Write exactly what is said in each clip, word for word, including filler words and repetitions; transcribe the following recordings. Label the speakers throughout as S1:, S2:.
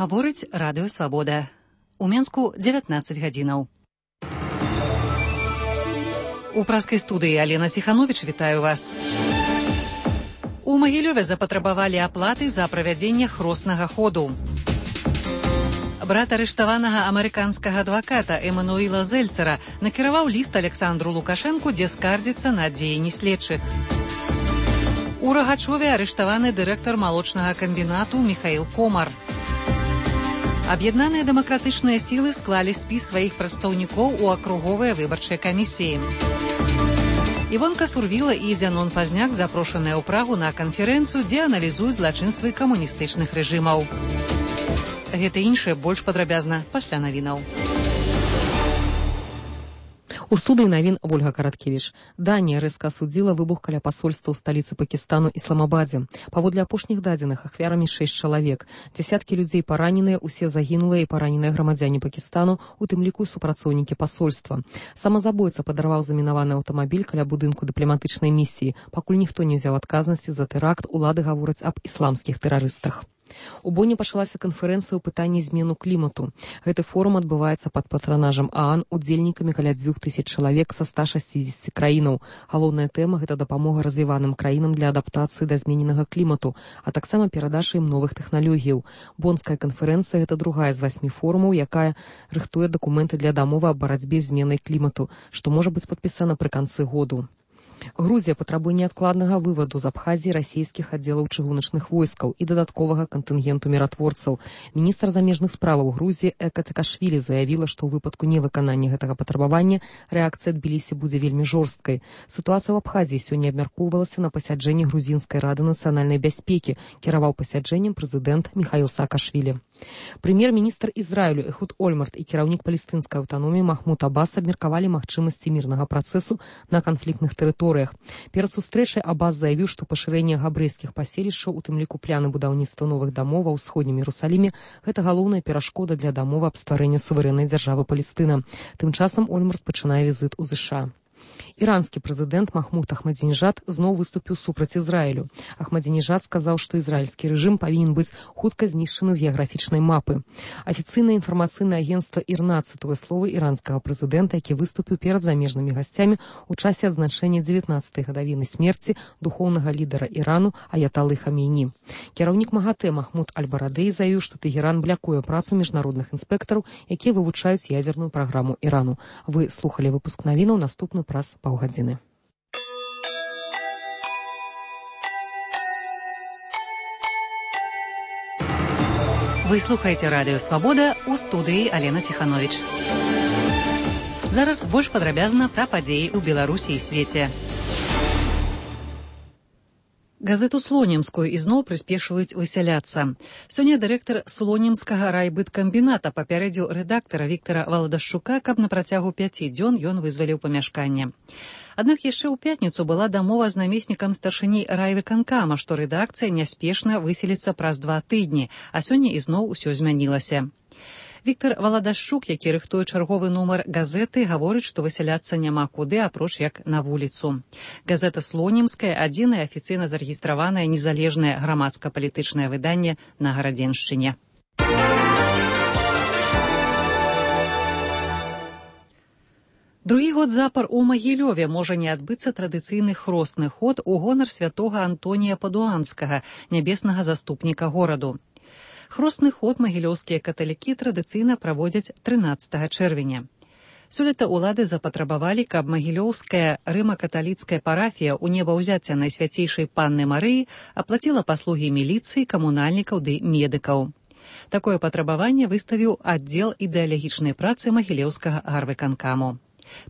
S1: Гаворыць радыё Свабода. У Менску дзевятнаццаць гадзінаў. У праскай студыі Алена Ціхановіч вітаю вас. У Магілёве запатрабавалі аплаты за правядзенне хроснага ходу. Брат арыштаванага амерыканскага адваката Эмануіла Зельцера накіраваў ліст Александру Лукашэнку, дзе скардзіцца на дзеянні следчых. У Рагачове арыштаваны дырэктар малочнага камбінату Міхаіл Комар. Аб'яднаныя дэмакратычныя сілы склалі спіс сваіх прадстаўнікоў у акруговыя выбарчыя камісіі. Івонка Сурвіла і Зянон Пазняк запрошаныя ў Прагу на канферэнцыю, дзе аналізуюць злачынствы камуністычных рэжымаў. Гэта іншае больш падрабязна пасля навінаў.
S2: У студыі навін Ольга Караткевіч. Данія рэзка асудзіла выбух каля пасольства ў сталіцы Пакістану Ісламабадзе. Паводле апошніх дадзеных ахвярамі шэсць чалавек. Дзясяткі людзей параненыя, усе загінулыя і параненыя грамадзяне Пакістану, у тым ліку супрацоўнікі пасольства. Самазабойца падарваў замінаваны аўтамабіль каля будынку дыпламатычнай місіі. Пакуль ніхто не ўзяў адказнасці за тэракт, улады гавораць аб ісламскіх тэрарыстах. У Боне пачалася канферэнцыя ў пытанні змену клімату. Гэты форум адбываецца пад патранажам ААН, удзельнікамі каля дзвюх тысяч чалавек са ста шасцідзесяці краінаў. Галоўная тэма – гэта дапамога развіваным краінам для адаптацыі да змененага клімату, а таксама перадача ім новых тэхналогіяў. Бонская канферэнцыя – гэта другая з васьмі форумаў, якая рыхтуе дакументы для дамовы аб барацьбе з зменай клімату, што можа быць падпісана пры канцы году. Грузія патрабуе неадкладнага вываду з Абхазіі расійскіх аддзелаў чыгуначных войскаў і дадатковага кантынгенту міратворцаў. Міністр замежных справаў Грузіі Эка Цикашвілі заявіла, што ў выпадку невыканання гэтага патрабавання рэакцыя Тбілісі будзе вельмі жорсткай. Сітуацыя ў Абхазіі сёння абмяркоўвалася на пасяджэнні грузінскай рады нацыянальнай бяспекі. Кіраваў пасяджэннем прэзідэнт Міхаіл Саакашвілі. Прэм'ер-міністр Ізраілю Эхуд Ольмарт і кіраўнік палестынскай аўтаноміі Махмуд Аббас абмеркавалі магчымасці мірнага працэсу на канфліктных тэрыторыях. Перад сустрэчай Аббас заявіў, што пашырэнне габрэйскіх паселішчаў, у тым ліку пляны будаўніцтва новых дамоў ва ўсходнім Іерусаліме, гэта галоўная перашкода для дамовы аб стварэнні суверэннай дзяржавы Палестына. Тым часам Ольмарт пачынае візіт у ЗША. Іранскі прэзідэнт Махмуд Ахмадзінежад зноў выступіў супраць Ізраілю. Ахмадзінежад сказаў, што ізраільскі рэжым павінен быць хутка знішчаны з геаграфічнай мапы. Афіцыйнае інфармацыйнае агенцтва ІРНА цытуе словы іранскага прэзідэнта, які выступіў перад замежнымі гасцямі ў часе адзначэння дзевятнаццатай гадавіны смерці духоўнага лідара Ірану Аяталы Хамейні. Кіраўнік МАГАТЭ Махмуд Аль-Барадэй заявіў, што Тэгеран блякуе працу міжнародных інспектараў, якія вывучаюць ядерную праграму Ірану. Вы слухалі выпуск навінаў, наступны праз паўгадзіны.
S1: Вы слухаеце радыё Свабода, у студыі Алена Ціхановіч. Зараз больш падрабязна пра падзеі ў Беларусі і свеце. Газету Слонімскую ізноў прыспешваюць высяляцца. Сёння дырэктар Слонімскага райбыткамбіната папярэдзіў рэдактара Віктара Валадашчука, каб на працягу пяці дзён ён вызваліў памяшканне. Аднак яшчэ ў пятніцу была дамова з намеснікам старшыні райвыканкама, што рэдакцыя няспешна выселіцца праз два тыдні, а сёння ізноў усё змянілася. Віктар Валадашчук, які рыхтуе чарговы нумар газеты, гаворыць, што высяляцца няма куды, апроч як на вуліцу. Газета Слонімская – адзінае афіцыйна зарэгістраванае незалежнае грамадска-палітычнае выданне на Гарадзеншчыне. Другі год запар у Магілёве можа не адбыцца традыцыйны хросны ход у гонар святога Антонія Падуанскага, нябеснага заступніка гораду. Хросны ход магілёўскія каталікі традыцыйна праводзяць трынаццатага чэрвеня. Сёлета ўлады запатрабавалі, каб магілёўская рыма-каталіцкая парафія ў небаўзяцця Найсвяцейшай Панны Марыі аплаціла паслугі міліцыі, камунальнікаў ды медыкаў. Такое патрабаванне выставіў аддзел ідэалагічнай працы магілёўскага гарвыканкаму.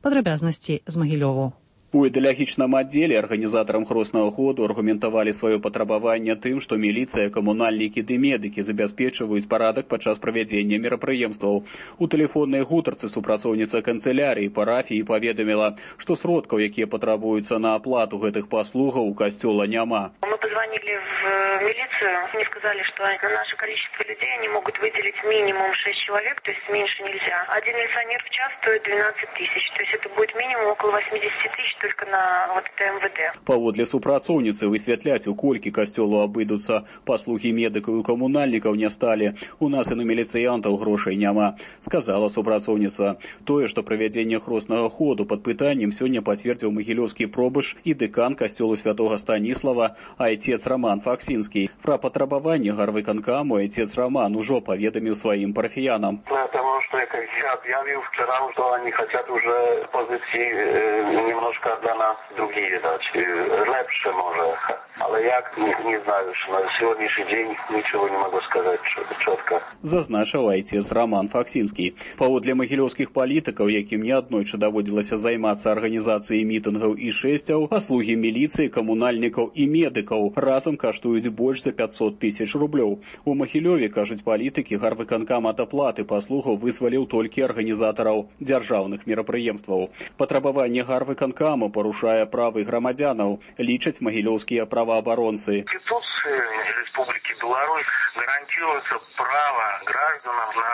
S1: Падрабязнасці з Магілёву.
S3: У ідэалагічным аддзеле арганізатарам хроснага ходу аргументавалі сваё патрабаванне тым, што міліцыя, камунальнікі ды медыкі забяспечваюць парадак падчас правядзення мерапрыемстваў. У тэлефоннай гутарцы супрацоўніца канцылярыі парафіі паведаміла, што сродкаў, якія патрабуюцца на аплату гэтых паслугаў, у касцёла няма.
S4: Мы позвонили в милицию, мне сказали, что на наше количество людей они могут выделить минимум шесть человек, то есть меньше нельзя. Один милиционер в час стоит двенадцать тысяч, то есть это будет минимум около восемьдесят тысяч только на вот это эм вэ дэ.
S3: Паводле супрацоўніцы высвятляць, у колькі касцёлу абыдуцца паслугі медыкаў і камунальнікаў не сталі. У нас і на міліцыянтаў грошай няма, сказала супрацоўніца. Тое, што правядзенне хроснага ходу пад пытаннем сёння пацвердзіў магілёўскі пробыш і дэкан касцёлу святога Станіслава, айцец Роман Факсінскі. Пра патрабаванне гарвыканкаму айцец Роман ужо паведаміў сваім парафіянам.
S5: Потому что я объявил вчера, что они хотят уже позиции э, немножко для нас другие дать, лепше может. Але як, не, не знаю, что на сегодняшний день ничего не могу сказать четко.
S3: Зазначыў айцец Роман Факсінскі. Паводле магілёўскіх палітыкаў, якім неаднойчы даводзілася займацца арганізацыяй мітынгаў і шэсцяў, паслугі міліцыі, камунальнікаў і медыкаў разам каштуюць больш за пятьсот тысяч рублёў. У Магілёве, кажуць палітыкі, гарвыканкам ад аплаты паслугаў вызваліў толькі арганізатараў дзяржаўных мерапрыемстваў. Патрабаванне гарвыканкаму парушае правы грамадзянаў, лічаць магілёўскія праваабаронцы.
S5: Конституция Республики Беларусь гарантируется право гражданам на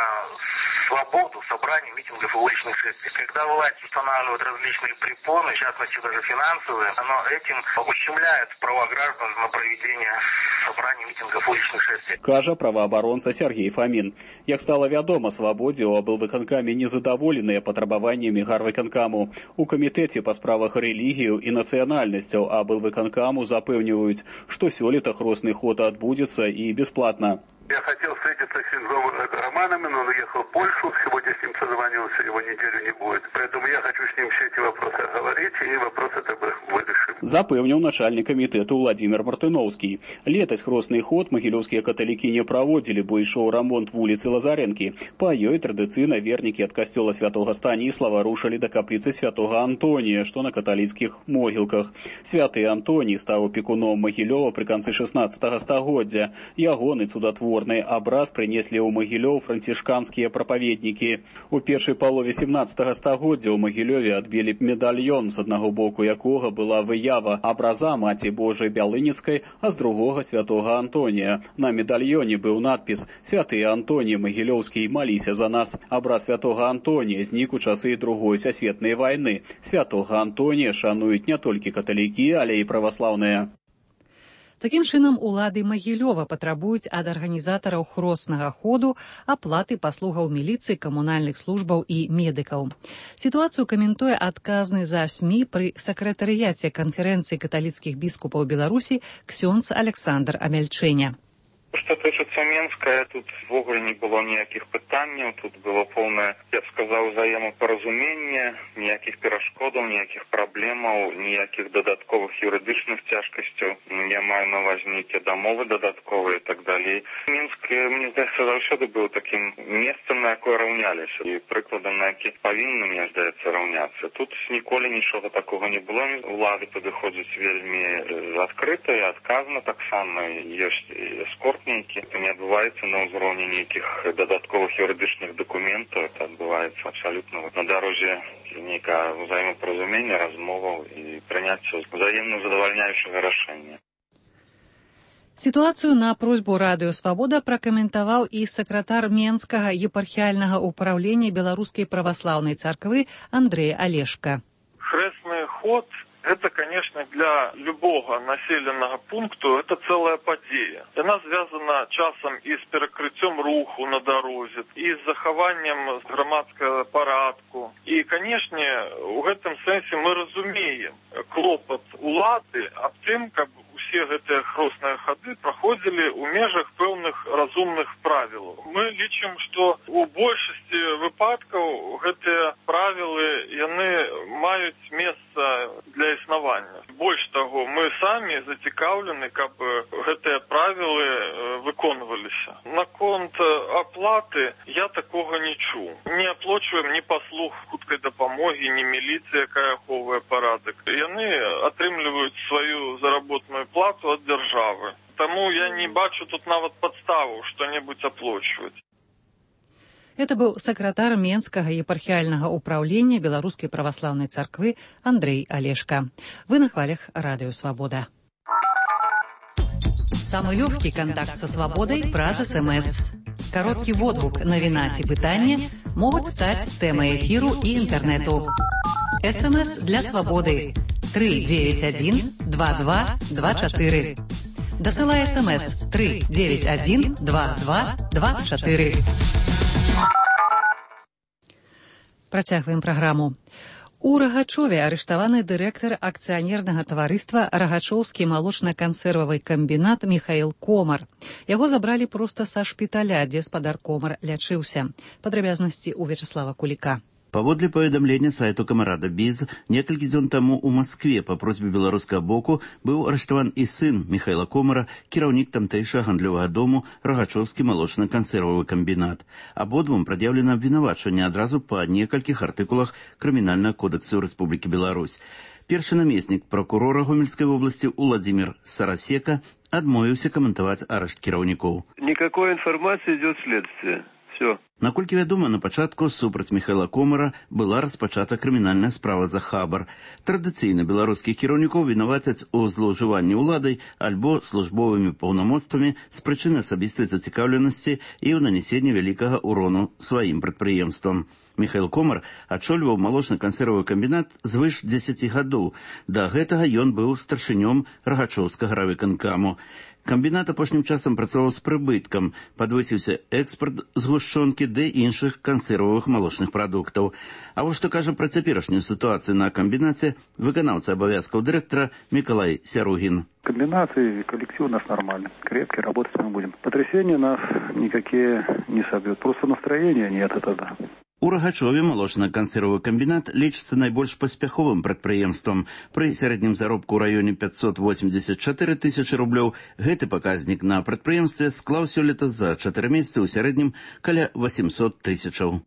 S5: свободу собраний, митингов и уличных шествий. Когда власть устанавливает различные препоны, в частности даже финансовые, оно этим ущемляет права граждан на проведение собраний, митингов и уличных шествий.
S3: Кажа праваабаронца Сергей Фомин. Як стала вядома, свабодзе ў аблвыканкаме незадаволеныя патрабаваннямі гарвыканкаму. У камітэце па справах рэлігію і нацыянальнасцяў аблвыканкаму запэўніваюць, што сёлета хросны ход адбудзецца і бесплатна.
S5: Я хотел встретиться с Романом, но он уехал в Польшу. Сегодня с ним созвонился, его неделю не будет. Поэтому я хочу с ним все эти вопросы оговорить, и вопросы тогда вырашим.
S3: Запэўніў начальник камітэту Владимир Мартыновский. Летась хросны ход магілёўскія каталікі не праводзілі, бо ішоў рамонт вуліцы Лазарэнкі. Па ёй традыцыйна вернікі ад касцёла святога Станіслава рушылі да капліцы святога Антонія, што на каталіцкіх могілках. Святы Антоній стаў апекуном Магілёва пры канцы шаснаццатага стагоддзя. Ягоны цудатворны абраз прынеслі ў Магілёў францішканскія прапаведнікі. У першай палове сямнаццатага стагоддзя ў Магілёве адбілі медальён, з аднаго боку якога была выява абраза Маці Божай Бялыніцкай, а з другога святога Антонія. На медальёне быў надпіс «Святы Антоній Магілёўскі, маліся за нас». Абраз святога Антонія знік у часы Другой сусветнай вайны. Святога Антонія шануюць не толькі каталікі, але і праваслаўныя.
S1: Такім чынам, улады Магілёва патрабуюць ад арганізатараў хроснага ходу аплаты паслугаў міліцыі, камунальных службаў і медыкаў. Сітуацыю каментуе адказны за СМІ пры сакратарыяце канферэнцыі каталіцкіх біскупаў Беларусі ксёндз Александр Амельчэня.
S6: Што тычыцца Менска, тут ввогуле не было ніякіх пытанняў, тут было поўнае, я б сказаў, взаемапаразуменне, ніякіх перашкодаў, ніякіх праблемаў, ніякіх дадатковых юрыдычных цяжкасцяў. Я маю на ўвазе нейкія дамовы дадатковыя і так далей. Мінск, мне здаецца, заўсёды быў такім месцам, на якое раўняліся, і прыкладам, на які павінны, мне здаецца, раўняцца. Тут ніколі нічога такога не было. Улады падыходзяць вельмі адкрыта і адказна таксама. Ёсць эскорт нейкі. Это не адбываецца на ўзроўні нейкіх дадатковых юрыдычных дакументаў. Это адбываецца абсалютна на дарозе нейкага ўзаемапаразумення, размоваў і прыняцця ўзаемна задавальняючага рашэння.
S1: Сітуацыю на просьбу Радыё Свабода пракаментаваў і сакратар Менскага епархіяльнага ўпраўлення Беларускай праваслаўнай царквы Андрэй Алешка.
S7: Хрэсны ход — это, конечно, для любого населенного пункту это целая подея. Она связана часом и с перекрытием руху на дороге, и с захаванием громадского порядку. И, конечно, в этом смысле мы разумеем клопот улады об тем, как все гэтыя хросныя хады праходзілі ў межах пэўных разумных правілаў. Мы лічым, што у большасці выпадкаў гэтыя правілы яны маюць месца для існавання. Больш таго, мы самі зацікаўлены, каб гэтыя правілы выконваліся. Наконт аплаты я такога не чуў. Не аплачваем ні паслуг хуткай дапамогі, ні міліцыя, якая ахоўвае парадак. Яны атрымліваюць сваю заработную плату от державы. Тому я не бачу тут нават подставу что-нибудь оплачивать.
S1: Это был сакратар Менскага епархіяльнага ўпраўлення Беларускай праваслаўнай царквы Андрэй Алешка. Вы на хвалях Радыё Свабода. Самый легкий контакт со свободой праз СМС. Короткий водгук, навіна ці пытанне могуць стаць тэмай эфіру і інтэрнэту. СМС для свободы три девять один два два два четыре. Дасылай СМС три девять один два два два четыре. Працягваем праграму. У Рагачове арыштаваны дырэктар акцыянернага таварыства Рагачоўскі малочна-кансервавы камбінат Михаил Комар. Яго забралі проста са шпіталя, дзе спадар Комар лячыўся. Падрабязнасці ў Вячеслава Куліка.
S8: Паводле паведамлення сайту Камарада Біз, некалькі дзён таму ў Маскве па просьбе беларускага боку быў арыштаван і сын Михайла Комара, кіраўнік тамтэйшага гандлёвага дому Рагачоўскі малочна-кансервавы камбінат. Абодвум прад'яўлена абвінавачванне адразу па некалькіх артыкулах Крымінальнага кодэксу Рэспублікі Беларусь. Першы намеснік прокурора Гомельскай вобласці Уладзімір Сарасека адмовіўся каментаваць арышт кіраўнікоў.
S9: Никакой информации идет следствие. Все.
S8: Наколькі вядома, на пачатку супраць Михайла Комара была распачата крымінальная справа за хабар. Традыцыйна беларускіх кіраўнікоў вінавацяць у злоўжыванні ўладай альбо службовымі паўнамоцтвамі з прычыны асабістай зацікаўленасці і ў нанесенні вялікага ўрону сваім прадпрыемствам. Михаил Комар ачольваў малочна-кансервавы камбінат звыш дзесяці гадоў. Да гэтага ён быў старшынём Рагачоўскага райвыканкаму. Камбінат апошнім часам працаваў з прыбыткам, падвысіўся экспарт згушчонкі ды іншых кансервавых малочных прадуктаў. А вось што кажа пра цяперашнюю сітуацыю на камбінаце выканаўца абавязкаў дырэктара Миколай Сяругин.
S10: Комбинат и коллектив у нас нормальный, крепкий, работать мы будем. Потрясения нас никакие не собьют, просто настроения нет, это да.
S8: У Рагачове малочна-кансервавы камбінат лічыцца найбольш паспяховым прадпрыемствам. Пры сярэднім заробку ў раёне пятьсот восемьдесят четыре тысячи рублёў гэты паказнік на прадпрыемстве склаў сёлета за чатыры месяцы ў сярэднім каля восемьсот тысячаў.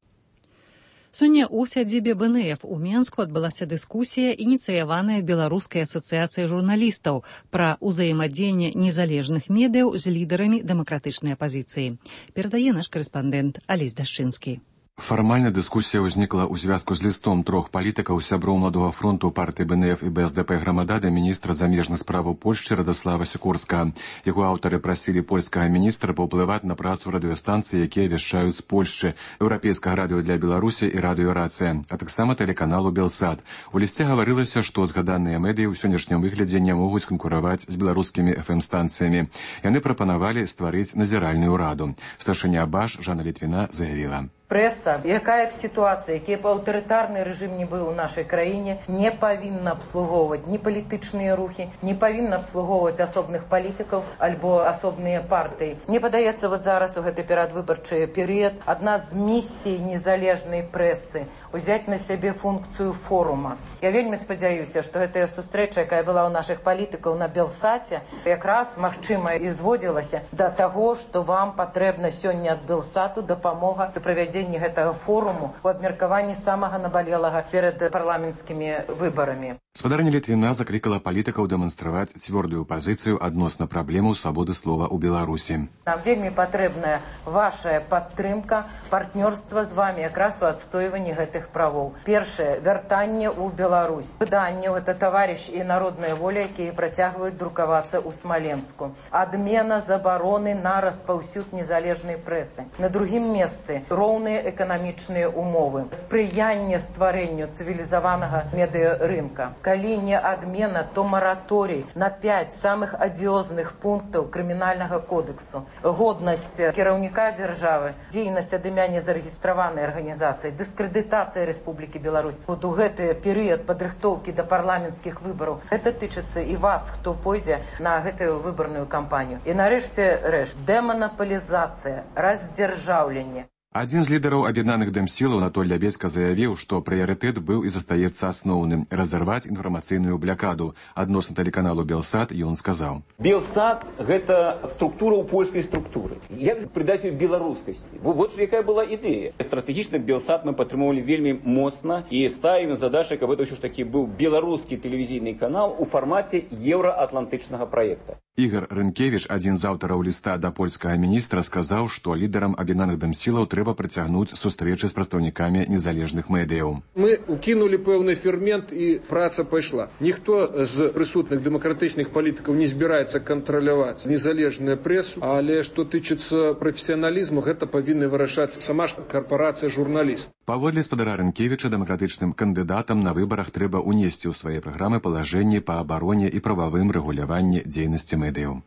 S1: Сёння ў сядзібе Бэ Эн Эф у Менску адбылася дыскусія, ініцыяваная Беларускай асацыяцыяй журналістаў пра ўзаемадзеянне незалежных медыяў з лідарамі дэмакратычнай апазіцыі. Перадае наш карэспандэнт Алесь Дашчынскі.
S11: Фармальна дыскусія ўзнікла ў звязку з лістом трох палітыкаў сяброў Маладога фронту партыі Бэ Эн Эф і Бэ Эс Дэ Пэ Грамада да міністра замежных справаў Польшчы Радослава Сікорскага. Яго аўтары прасілі польскага міністра паўплываць на працу радыёстанцый, якія вяшчаюць з Польшчы, еўрапейскага радыё для Беларусі і радыё Рацыя, а таксама тэлеканалу Белсат. У лісце гаварылася, што згаданыя медыі ў сённяшнім выглядзе не могуць канкураваць з беларускімі эф эм-станцыямі. Яны прапанавалі стварыць назіральную раду. Старшыня Баш Жанна Літвіна заявіла:
S12: Прэса, якая б сітуацыя, які б аўтарытарны рэжым не быў у нашай краіне, не павінна абслугоўваць ні палітычныя рухі, не павінна абслугоўваць асобных палітыкаў альбо асобныя партыі. Мне падаецца, вот зараз у гэты перадвыбарчы перыяд адна з місій незалежнай прэсы узяць на сябе функцыю форума. Я вельмі спадзяюся, што гэтая сустрэча, якая была ў нашых палітыкаў на Белсаце, якраз, магчыма, і зводзілася да таго, што вам патрэбна сёння ад Белсату дапамога пры правядзенні гэтага форуму у абмеркаванні самага набалелага перад парламенцкімі выбарамі.
S11: Спадарня Літвіна заклікала палітыкаў дэманстраваць цвёрдую пазіцыю адносна праблемаў свабоды слова ў Беларусі.
S12: Нам вельмі патрэбная ваша падтрымка, партнёрства з вами якраз у адстойванні гэтых правоў. Першае, вяртанне ў Беларусь. Выданне — гэта таварыш і народная воля, якія працягваюць друкавацца ў Смаленску. Адмена забароны на распаўсюд незалежнай прэсы. На другім месцы роўныя эканамічныя умовы. Спрыянне стварэнню цывілізаванага медыарынка. Калі не адмена, то мараторый на пять самых адыёзных пунктаў крымінальнага кодексу. Годнасць кіраўніка дзяржавы, дзейнасць ад імя незарэгістраванай арганізацыі, дыскрэдытацыя Рэспублікі Беларусь. Вот у гэты перыяд падрыхтоўкі да парламенцкіх выбараў. Гэта тычыцца і вас, хто пойдзе на гэтую выбарную кампанію. І нарэшце рэш, дэманаполізацыя, раздзяржаўленне.
S11: Адзін з лідараў аб'яднаных дэмсілаў Анатоль Лябедзька заявіў, што прыярытэт быў і застаецца асноўным — разарваць інфармацыйную блякаду. Адносна тэлеканалу Белсат ён сказаў:
S13: Белсат — гэта структура ў польскай структуры. Як придаць ёй беларускасці? Вот ж якая была ідэя. Стратэгічна Белсат мы падтрымоўвалі вельмі моцна і ставім задачу, каб гэта ўсё ж такі быў беларускі тэлевізійны канал у фармаце еўраатлантычнага праекта.
S11: Ігор Рынкевіч, адзін з аўтараў ліста да польскага міністра, сказаў, што лідарам аб'яднаных дэмсілаў трэба працягнуць сустрэчы з прадстаўнікамі незалежных медыяў.
S14: Мы укінулі пэўны фермент і праца пайшла. Ніхто з прысутных дэмакратычных палітыкаў не збіраецца кантраляваць незалежную прэсу, але што тычыцца прафесіяналізму, гэта павінна вырашаць сама ж карпарацыя журналістаў.
S11: Паводле спадара Рынкевіча, дэмакратычным кандыдатам на выбарах трэба ўнесці ў свае праграмы палажэнні па абароне і прававым рэгуляванні дзейнасці медыяў.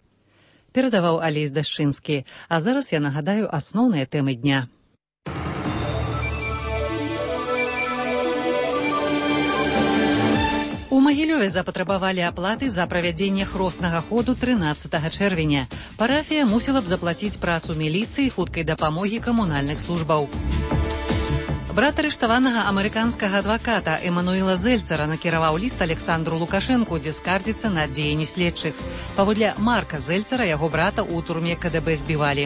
S1: Перадаваў Алесь Дашчынскі. А зараз я нагадаю асноўныя тэмы дня. У Магілёве запатрабавалі аплаты за правядзенне хроснага ходу трынаццатага чэрвеня. Парафія мусіла б заплаціць працу міліцыі і хуткай дапамогі камунальных службаў. Брат арыштаванага амерыканскага адваката Эмануэла Зельцара накіраваў ліст Александру Лукашэнку, дзе скардзіцца на дзеянні следчых. Паводле Марка Зельцара, яго брата ў турме ка дэ бэ збівалі.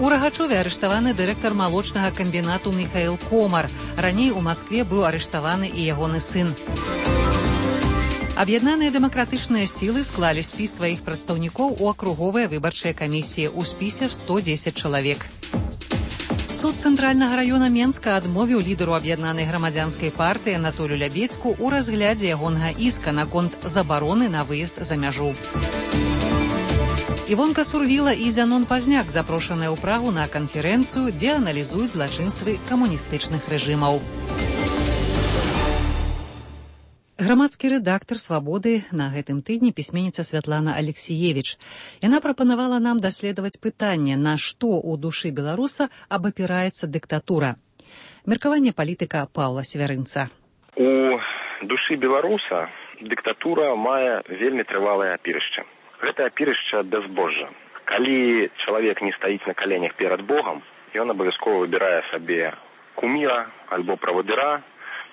S1: У Рагачове арыштаваны дырэктар малочнага камбінату Міхаіл Комар. Раней у Маскве быў арыштаваны і ягоны сын. Аб'яднаныя дэмакратычныя сілы склалі спіс сваіх прадстаўнікоў у акруговыя выбарчыя камісіі. У спісе сто дзесяць чалавек. Суд Цэнтральнага раёна Менска адмовіў лідару аб'яднанай грамадзянскай партыі Анатолію Лябедзьку ў разглядзе ягонага іска наконт забароны на выезд за мяжу. Івонка Сурвіла і Зянон Пазняк запрошаныя ў Прагу на канферэнцыю, дзе аналізуюць злачынствы камуністычных рэжымаў. Грамадскі рэдактар «Свабоды» на гэтым тыдні пісьменніца Святлана Алексіевіч. Яна прапанавала нам даследаваць пытанне, на што ў душы беларуса абапіраецца дыктатура. Меркаванне палітыка Паўла Свярынца.
S15: У душы беларуса дыктатура мае вельмі трывалае апірышча. Гэта апірышча бязбожжа. Калі чалавек не стаіць на каленях перад Богам, ён абавязкова выбірае сабе куміра альбо правадыра,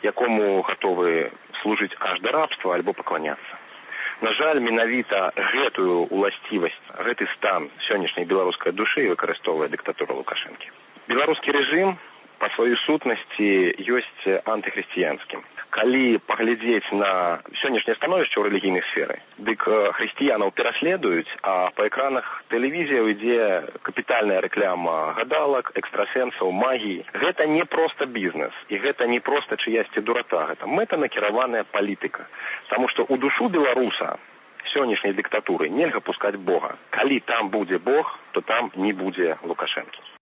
S15: якому гатовы служыць аж да рабства альбо пакланяцца. На жаль, менавіта гэтую уласцівасць, гэты стан сённяшняй беларускай душы выкарыстоўвае дыктатура Лукашэнкі. Беларускі рэжым па сваёй сутнасці ёсць антыхрысціянскім. Калі паглядзець на сённяшняе становішча ў рэлігійнай сферы, дык хрысціянаў пераследуюць, а па экранах тэлевізіяў ідзе капітальная рэкляма гадалак, экстрасэнсаў, магіі. Гэта не проста бізнес, і гэта не проста чыясьці дурата, гэта мэтанакіраваная палітыка. Таму што ў душу беларуса сённяшняй дыктатуры нельга пускаць Бога. Калі там будзе Бог, то там не будзе Лукашэнкі.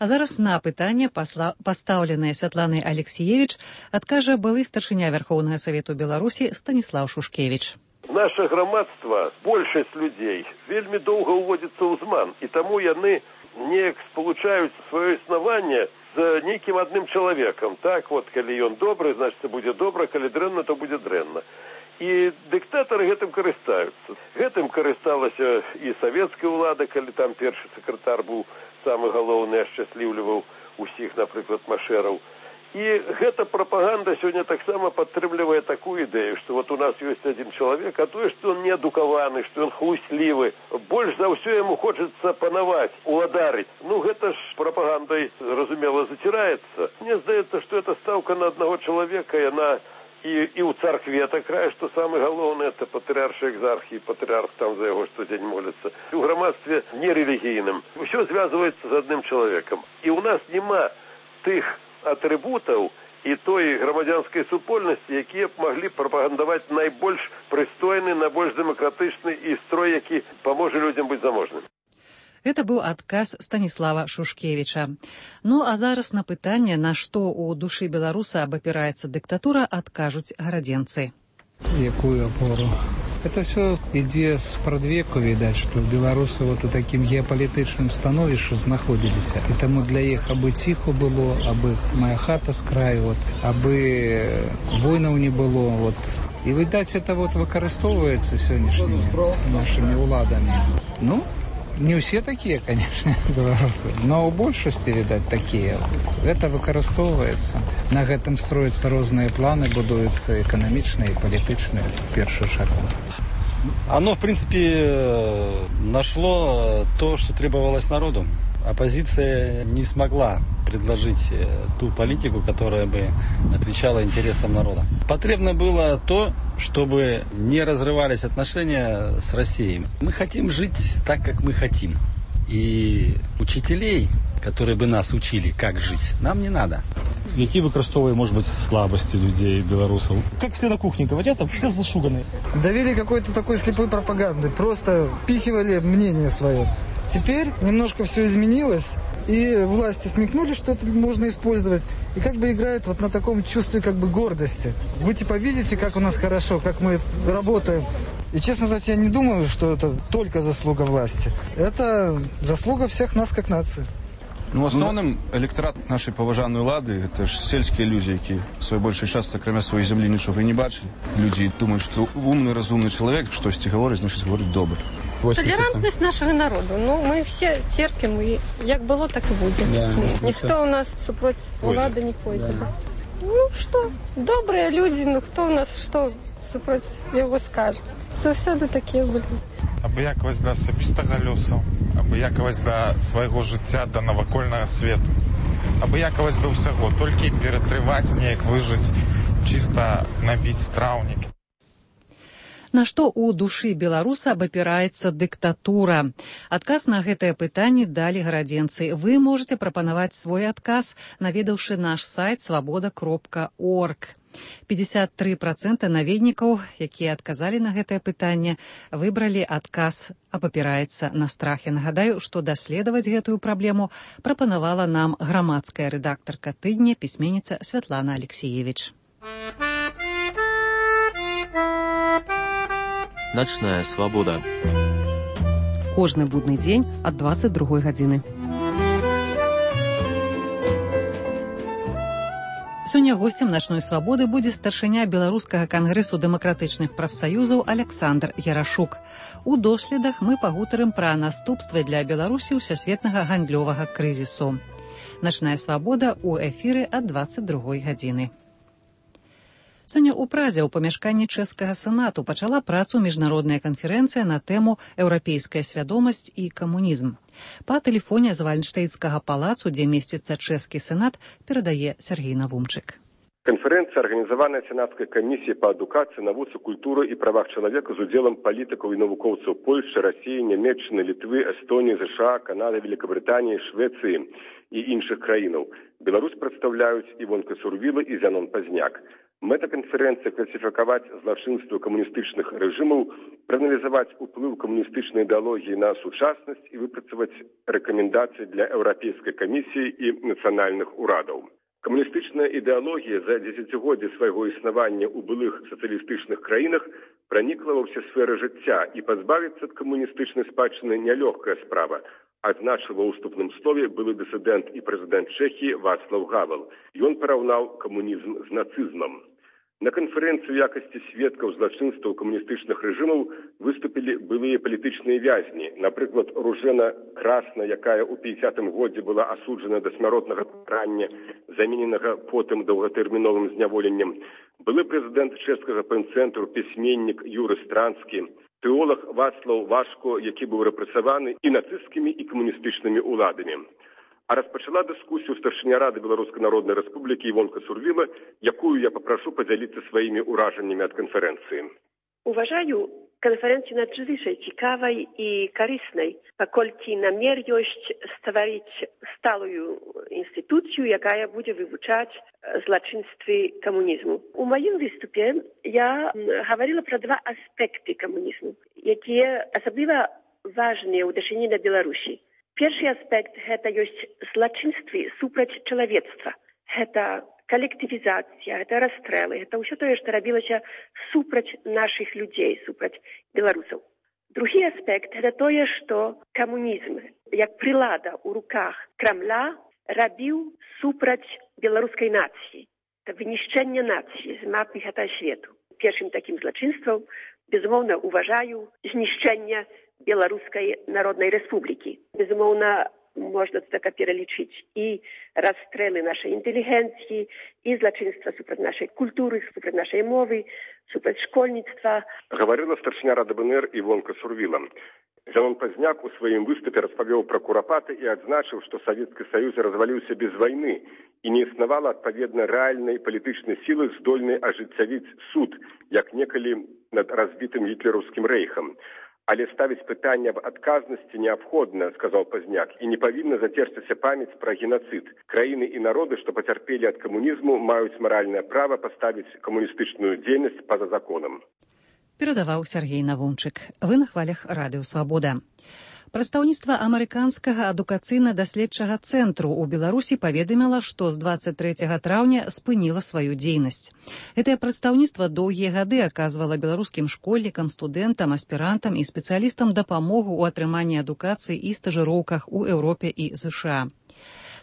S1: А зараз на пытанне, пастаўленае Святланай Алексіевіч, адкажа былы старшыня Вярхоўнага Савету Беларусі Станіслаў Шушкевіч.
S16: Наша грамадства, большасць людзей, вельмі доўга ўводзіцца ў зман, і таму яны неяк спалучаюць сваё існаванне з нейкім адным чалавекам. Так, вот, калі ён добры, значыць, будзе добра, калі дрэнна, то будзе дрэнна. І дыктатары гэтым карыстаюцца. Гэтым карысталася і савецкая ўлада, калі там першы сакратар быў самы галоўны, ашчасліўліваў усіх, напрыклад, машэраў. І гэта прапаганда сёння таксама падтрымлівае такую ідэю, што вот у нас ёсць адзін чалавек, а тое, што ён неадукаваны, што ён хлуслівы, больш за ўсё яму хочацца панаваць, уладарыць. Ну, гэта ж прапагандай, разумела, заціраецца. Мне здаецца, што эта стаўка на аднаго чалавека, яна і, і ў царкве такая, што самы галоўны это патрыарш экзарх, і патрыарх там за яго штодзень моліцца. У грамадстве нерэлігійным. Усё звязваецца з адным чалавекам. І ў нас няма тых атрыбутаў і той грамадзянскай супольнасці, якія б маглі прапагандаваць найбольш прыстойны, найбольш дэмакратычны і строй, які паможа людзям быць заможным.
S1: Гэта быў адказ Станіслава Шушкевіча. Ну, а зараз на пытанне, на што ў душы беларуса абапіраецца дыктатура, адкажуць гарадзенцы.
S17: Якую апору? Это все ідзе з прадвеку, відаць, што беларусы вот у такім геапалітычным становішчы знаходзіліся. І таму для іх абы ціху было, абы моя хата з краю, вот, абы войнаў не было. Вот. І, відаць, это вот выкарыстоўваецца сённяшнімі нашымі ўладамі. Ну, не ўсе такія, конечно, беларусы, но ў большасці, відаць, такія. Гэта выкарыстоўваецца. На гэтым строятся розныя планы, будуюцца эканамічныя і палітычныя в першую чаргу.
S18: Оно, в принципе, нашло то, что требовалось народу. Оппозиция не смогла предложить ту политику, которая бы отвечала интересам народа. Потребно было то, чтобы не разрывались отношения с Россией. Мы хотим жить так, как мы хотим. И учителей, которые бы нас учили, как жить, нам не надо.
S19: Які використовує, може бути, слабості людей, білорусів? Як всі на кухні говорять, там все зашугані.
S17: Довели какой-то такой слепой пропаганды, просто впихивали мнение свое. Теперь немножко все изменилось, и власти смекнули, что это можно использовать, и как бы играют вот на таком чувстве как бы гордости. Вы типа видите, как у нас хорошо, как мы работаем. И, честно сказать, я не думаю, что это только заслуга власти. Это заслуга всех нас как нации.
S20: Ну, основным электорат нашей поважанной улады – это ж сельские люди, які свой больший часто, кроме своей земли, нічого не бачили. Люди думают, что умный, разумный человек, что-то говорить, значит, говорить добре.
S21: Толерантность нашого народу. Ну, ми всі терпимо, і як було, так і буде. Да, ніхто у нас супроти влади не пойде. Да. Ну, що, добрі люди, ну хто у нас, що супроти його скаже. Завсёды такі були.
S22: Абыякавасць да асабістага лёсу, абыякавасць да свайго жыцця, да навакольнага свету. Абыякавасць да ўсяго, толькі ператрываць неяк выжыць, чыста набіць страўнік.
S1: На што ў душы беларуса абапіраецца дыктатура? Адказ на гэтае пытанне далі гарадзенцы. Вы можете прапанаваць свой адказ, наведаўшы наш сайт свабода кропка орг. пятьдесят три процента наведнікаў, якія адказалі на гэтае пытанне, выбралі адказ «Абапіраецца на страхе». Нагадаю, што даследаваць гэтую праблему прапанавала нам грамадская рэдактарка тыдня, пісьменніца Святлана Алексеевич.
S23: Начная свабода.
S2: Кожны будны дзень ад дваццаць другой гадзіны.
S1: Сёння госцем начной свабоды будзе старшыня беларускага кангрэсу дэмакратычных прафсаюзаў Александр Ярашук. У доследах мы пагутарым пра наступствы для Беларусі ўсесветнага гандлёвага крызісу. Начная свабода ў эфіры ад дваццаць другой гадзіны. Сёння ў Празе ў памяшканні чэшскага сенату пачала працу міжнародная канферэнцыя на тэму «Еўрапейская свядомасць і камунізм». Па тэлефоне з Вальнштейнскага палацу, дзе месціцца чэшскі сенат, перадае Сергей Навумчык.
S24: Конференция, организованная Сенатской комиссией по адукации, навуцы, культуры и правах человека с удзелом политиков и навукоўцаў Польши, России, Нямецчыны, Литвы, Эстонии, США, Канады, Великобритании, Швеции и іншых краінаў. Беларусь представляют Івонка Сурвіла и Зянон Пазняк. Мэта конференции классификовать злочинство коммунистичных режимов, проанализовать уплыв коммунистичной идеологии на сучасность и выпрацаваць рекомендации для Европейской комиссии и национальных урадов. Коммунистичная идеология за десятигоддзі свайго існавання ў былых сацыялістычных краінах проникла во все сферы жыцця, и позбавиться от коммунистичной спадчыны нелегкая справа, адзначыў ва ўступным слове былы дысідэнт і прэзідэнт Чэхіі Вацлаў Гавел. Ён параўнаў камунізм з нацызмам. На конференцию в якости сведкаў злачынстваў камуністычных рэжымаў выступили былыя палітычныя вязні. Напрыклад, Ружена Красна, якая ў пятидесятым годзе была асуджана да смяротнага пакарання, замененага потым доўгатэрміновым зняволеннем. Былы прэзідэнт чэшскага пэнцэнтру, пісьменнік Юры Странскі, тэолог Вацлаў Вашко, які быў рэпрэсаваны і нацысцкімі, і камуністычнымі уладамі. А распачала дыскусію старшыня Рады Беларускай Народнай Рэспублікі Івонка Сурвіла, якую я попрошу подзяліцца сваімі ўражаннямі ад канферэнцыі.
S25: Uważаю konferencję nadzwyczaj ciekawej i korzystnej, pokolki namiar jest stworzyć stałą instytucję, jaka będzie wywuczać zloczyństwy komunizmu. U moim wystupie ja mówiła про dwa aspekty komunizmu, jakie особливо ważne uderzenie na Białorusi. Pierwszy aspekt to jest zloczyństwo супроць człowiectwa. To коллективизация, это расстрелы, это все то, что робилось супроць наших людей, супроць белорусов. Другий аспект это то, что коммунизм, как прилада у руках Кремля, робил супроць белорусской нации. Это вынищение нации з мапы этого света. Pierwszym takim zloczyństwem, безумовно, уважаю знищення Белорусской Народной Республики. Безумовно, можна така перелічити і розстріли нашої інтелігенції, і злочинства супроти нашої культури, супроти нашої мови, супроти школьництва.
S24: Говорила старшина Рады БНР Івонка Сурвіла. Зянон Пазняк у сваім выступе распавёў пра курапаты і адзначыў, што Савецкі Саюз разваліўся без вайны і не існавала адпаведна рэальнай палітычнай сілы, здольнай ажыццявіць суд, як некалі над разбітым гітлераўскім рэйхам. Але ставіць пытанне аб адказнасці неабходна, сказаў Пазняк, і не павінна зацерціся памяць пра генацыд. Краіны і народы, што пацярпелі ад камунізму, маюць маральнае права паставіць камуністычную дзейнасць па-за законам.
S1: Перадаваў Сергей Навунчык. Вы на хвалях Радыё Свабода. Прадстаўніцтва амерыканскага адукацыйна-даследчага цэнтру ў Беларусі паведаміла, што з дваццаць трэцяга траўня спыніла сваю дзейнасць. Гэтае прадстаўніцтва доўгія гады аказвала беларускім школьнікам, студэнтам, аспірантам і спецыялістам дапамогу ў атрыманні адукацыі і стажыроўках у Еўропе і ЗША.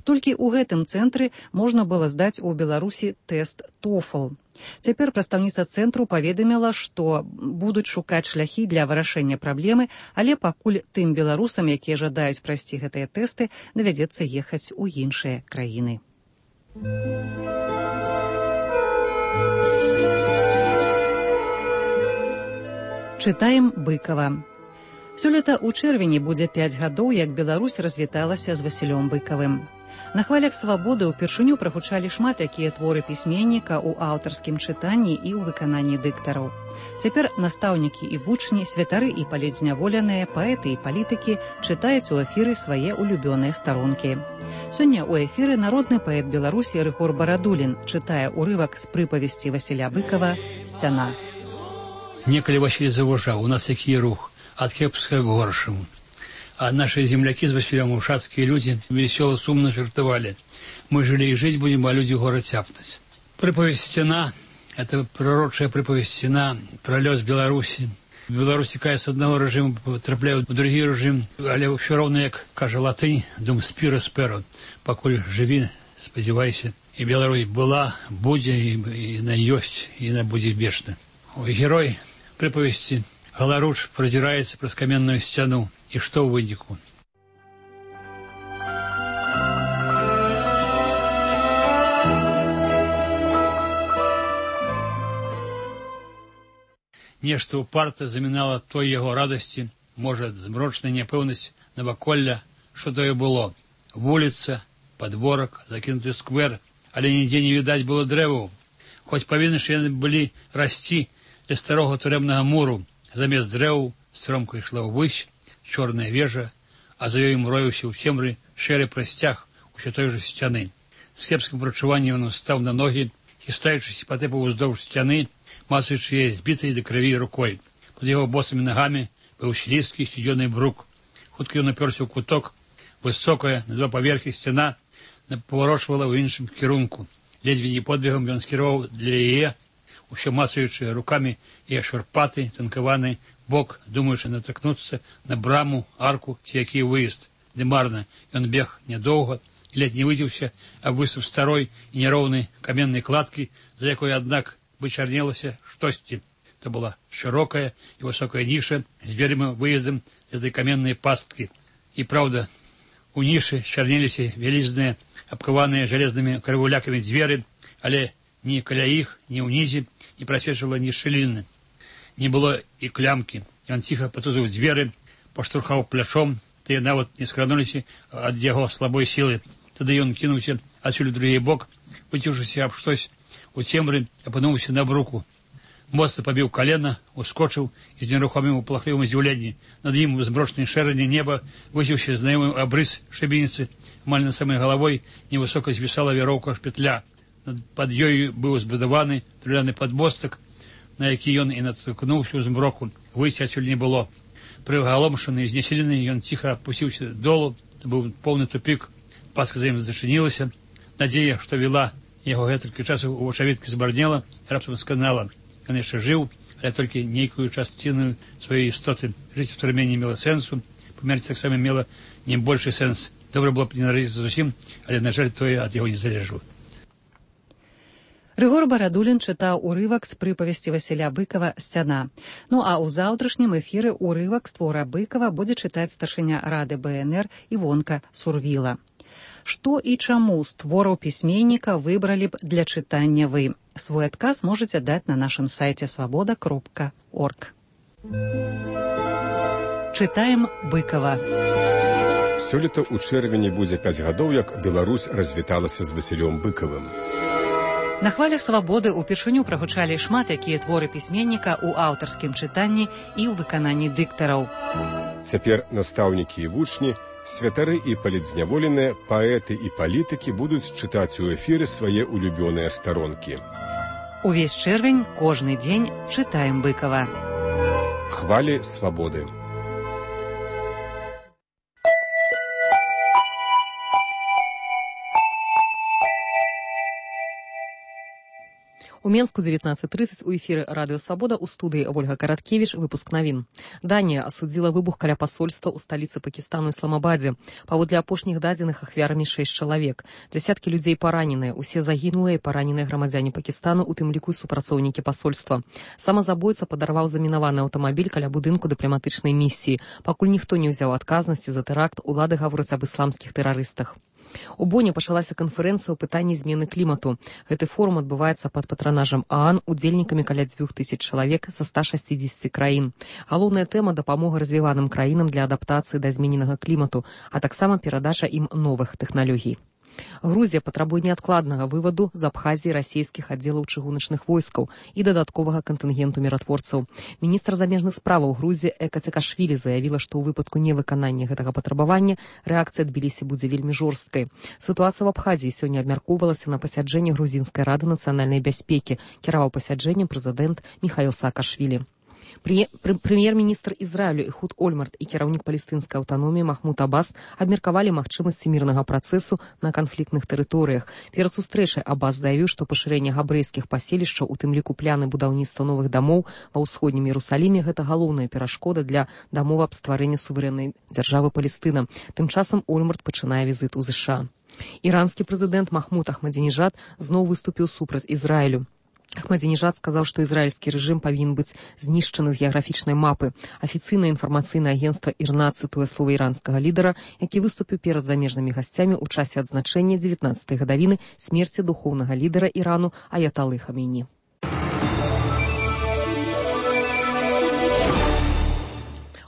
S1: Толькі ў гэтым цэнтры можна было здаць у Беларусі тэст тофл. Цяпер прадстаўніца цэнтру паведаміла, што будуць шукаць шляхі для вырашэння праблемы, але пакуль тым беларусам, якія жадаюць прайсці гэтыя тэсты, давядзецца ехаць у іншыя краіны. Чытаем Быкава. Сёлета ў чэрвені будзе пяць гадоў, як Беларусь развіталася з Васілём Быкавым. На хвалях свабоды ўпершыню прагучалі шмат якія творы пісьменніка ў аўтарскім чытанні і ў выкананні дыктараў. Цяпер настаўнікі і вучні, святары і палітзняволеныя, паэты і палітыкі чытаюць у эфіры свае улюбёныя старонкі. Сёння ў эфіры народны паэт Беларусі Рыгор Барадулін чытае ўрывак з прыпавесці Васіля Быкава «Сцяна».
S3: Некалі Васіль заважаў, у нас які рух, ад кепскага к горшаму. А наши земляки с Василем, ушацкие люди, весело, сумно жартовали. Мы жили и жить будем, а люди город тяпнуть. Приповесть «Стена» — это пророчая приповесть «Стена», про лёс Беларуси. Беларусь текает с одного режима, потрапляют в другий режим, але все равно, як каже латынь, дум спиро сперо, покуль живи, сподівайся. И Беларусь была, будет, и, и на есть, и на будет вечно. Ой, герой приповести Галаруч продирается през каменную стену. И что в вынику? Нешта упарта замінала той яго радасці, можа, змрочная няпэўнасць наваколля, што тое было. Вуліца, падворак, закінуты сквер, але нідзе не відаць было дрэваў. Хоць павінны ж яны былі расці ля старога турэмнага муру, замест дрэваў стромка ішла ўвысь, чорная вежа, а за ёй мроіўся ў цемры шэры прасцяг усё той жа сцяны. З кепскім прачуваннем ён стаў на ногі, хістаючыся патэпаў уздоўж сцяны, мацаючы яе збітай да крыві рукой. Пад яго босымі нагамі быў слізкі сцюдзёны брук. Хутка ён напёрся ў куток, высокая, на два паверхі сцяна паварочвала ў іншым кірунку. Ледзьве не подбегам ён скіраваў для яе, усё мацаючы рукамі яе шурпаты, танкаваны бок, думаючы натыкнуцца на браму, арку ці які выезд. Ды марна, ён бег нядоўга і ледзь не выдзеўся аб выступ старой і няроўнай каменнай кладкі, за якой, аднак, вычарнелася штосьці. То была шырокая і высокая ніша з дзвярыма выездам з этой каменнай пасткі. І праўда, у нішы чарнеліся вялізныя, абкаваныя жалезнымі крывулякамі дзверы, але ні каля іх, ні ўнізе не прасвечвала ні шчыліны. Не было і клямкі. Ён ціха патузыў дзверы, паштурхаў плячом, тыя нават не скрануліся ад яго слабой сілы. Тады ён кінуўся адсюль у другі бок, выцеўшыся аб штось у цемры, апынуўся на бруку. Моцна пабіў калена, ускочыў і з нерухомым палахлівым здзіўленні. Над ім у змрочнай шэрані неба высеўся знаёмы абрыс шыбеніцы. Амаль над самай галавой невысока звісала вяроўка шпетля. Пад ёю быў збудаваны друляны падмостак, на які ён і натыкнуўся ў змроку. Выйсці адсюль не было. Прыгаломшаны і знесілены, ён ціха апусціўся долу. Это быў поўны тупік. Паска за ім зачынілася. Надзея, што вела яго гэтулькі часу у вачавіткі збарнела і раптам сканала. Ён яшчэ жыў, але толькі нейкую частину сваёй істоты. Жыць у турме не мела сэнсу, памерці таксама мела не большы сэнс. Добра было б не нарадзіцца зусім, але, на жаль, тое ад яго не залежала.
S1: Рыгор Барадулін чытаў урывак з прыпавесці Васіля Быкова «Сцяна». Ну а ў заўтрашнім эфіры урывак з твора Быкова будзе чытаць старшыня Рады бэ эн эр Івонка Сурвіла. Што і чаму з твораў пісьменніка выбралі б для чытання вы? Свой адказ можаце даць на нашым сайце свабода кропка орг. Чытаем Быкова.
S4: Сёлета ў чэрвені будзе пяць гадоў, як Беларусь развіталася з Васілём Быкавым.
S1: На хвалях свабоды ўпершыню прагучалі шмат якія творы пісьменніка ў аўтарскім чытанні і ў выкананні дыктараў.
S4: Цяпер настаўнікі і вучні, святары і палітзняволеныя, паэты і палітыкі будуць чытаць у эфіры свае улюбёныя старонкі.
S1: Увесь чэрвень, кожны дзень чытаем Быкова.
S4: Хвалі свабоды.
S2: У Менску девятнадцать тридцать у эфіры Радыё Свабода, у студыі Ольга Караткевіч, выпуск навін. Данія асудзіла выбух каля пасольства ў сталіцы Пакістану Ісламабадзе. Паводле апошніх дадзеных ахвярамі шэсць чалавек. Дзясяткі людзей параненыя, усе загінулыя і параненыя грамадзяне Пакістану, у тым ліку супрацоўнікі пасольства. Самазабойца падарваў замінаваны аўтамабіль каля будынку дыпламатычнай місіі. Пакуль ніхто не ўзяў адказнасці за тэракт, улады гавораць аб ісламскіх тэрарыстах. У Боне пачалася канферэнцыя ў пытанні змены клімату. Гэты форум адбываецца пад патранажам ААН, удзельнікамі каля дзвюх тысяч чалавек са ста шасцідзесяці краін. Галоўная тэма – дапамога развіваным краінам для адаптацыі да змененага клімату, а таксама перадача ім новых тэхналогій. Грузія патрабуе неадкладнага вываду з Абхазіі расійскіх аддзелаў чыгуначных войскаў і дадатковага кантынгенту міратворцаў. Міністр замежных справаў Грузіі Эка Цекашвілі заявіла, што ў выпадку невыканання гэтага патрабавання рэакцыя Тбілісі будзе вельмі жорсткай. Сітуацыя ў Абхазіі сёння абмяркоўвалася на пасяджэнні Грузінскай рады нацыянальнай бяспекі. Кіраваў пасяджэннем прэзідэнт Міхаіл Саакашвілі. Прэм'ер-міністр Ізраілю Эхуд Ольмарт і кіраўнік палестынскай аўтаноміі Махмуд Аббас абмеркавалі магчымасці мірнага працэсу на канфліктных тэрыторыях. Перад сустрэчай Аббас заявіў, што пашырэнне габрэйскіх паселішчаў, у тым ліку пляны будаўніцтва новых дамоў ва ўсходнім Іерусаліме, гэта галоўная перашкода для дамовы аб стварэнні суверэннай дзяржавы Палестына. Тым часам Ольмарт пачынае візіт у ЗША. Іранскі прэзідэнт Махмуд Ахмадзінежад зноў выступіў супраць Ізраілю. Ахмадзінежад сказаў, што ізраільскі рэжым павінен быць знішчаны з геаграфічнай мапы. Афіцыйнае інфармацыйнае агенцтва ІРНА цытуе словы іранскага лідара, які выступіў перад замежнымі гасцямі ў часе адзначэння дзевятнаццатай гадавіны смерці духоўнага лідара Ірану Аяталы Хамейні.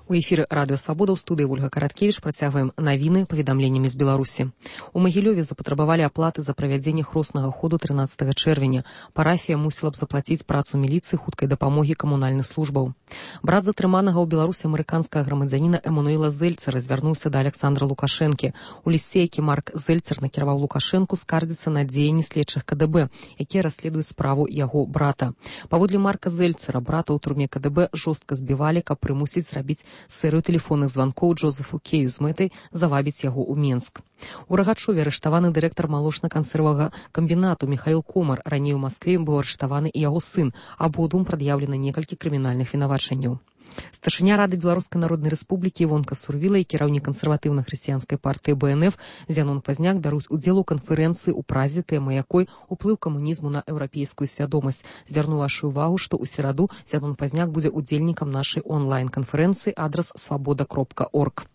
S2: У эфіры Радыё Свабода, ў студыі Ольга Караткевіч, працягваем навіны паведамленнямі з Беларусі. У Магілёве запатрабавалі аплаты за правядзенне хроснага ходу трынаццатага чэрвеня. Парафія мусіла б заплаціць працу міліцыі, хуткай дапамогі камунальных службаў. Брат затрыманага ў Беларусі амерыканскага грамадзяніна Эмануэла Зельцера звярнуўся да Александра Лукашэнкі. У лісце, які Марк Зельцер накіраваў Лукашэнку, скардзіцца на дзеянні следчых КДБ, якія расследуюць справу яго брата. Паводле Марка Зельцера, брата ў турме КДБ жорстка збівалі, каб прымусіць зрабіць серыю тэлефонных званкоў Джозефу Кею з мэтай завабіць яго ў Менск. У Рагачове арыштаваны дырэктар малочна-кансервага камбінату Міхаіл Комар. Раней у Маскве быў арыштаваны і яго сын. Абодвум прад'яўлена некалькі крымінальных вінавачанняў. Старшыня Рады Беларускай Народнай Рэспублікі Івонка Сурвіла і кіраўнік кансерватыўна-хрысціянскай партыі Бэ Эн Эф Зянон Пазняк бяруць удзел у канферэнцыі, у празе, тэма якой уплыў камунізму на еўрапейскую свядомасць. Звярну вашу увагу, што ў сераду Зянон Пазняк будзе удзельнікам нашай онлайн-канферэнцыі, адрас свабода кропка орг.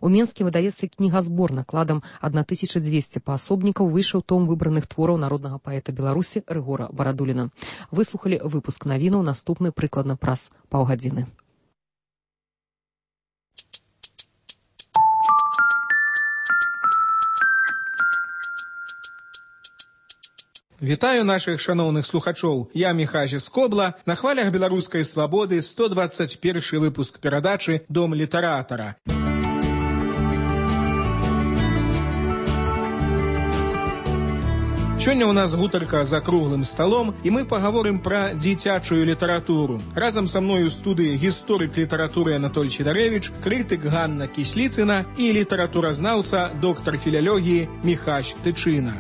S2: У Менске выдавецтве кнігазбор накладам тысяча дзвесце паасобнікаў выйшаў том выбраных твораў народнага паэта Беларусі Рыгора Барадуліна. Выслухалі выпуск навінаў, наступны прыкладна праз паўгадзіны.
S5: Вітаю нашых шаноўных слухачоў. Я Міхажі Скобла. На хвалях беларускай свабоды сто дваццаць першы выпуск перадачы «Дом літаратара». Сёння ў нас гутарка за круглым сталом, і мы пагаворым пра дзіцячую літаратуру. Разам са мною ў студыі гісторык літаратуры Анатоль Чедарэвіч, крытык Ганна Кісліцына і літаратуразнаўца, доктар філялогіі Міхась Тычына.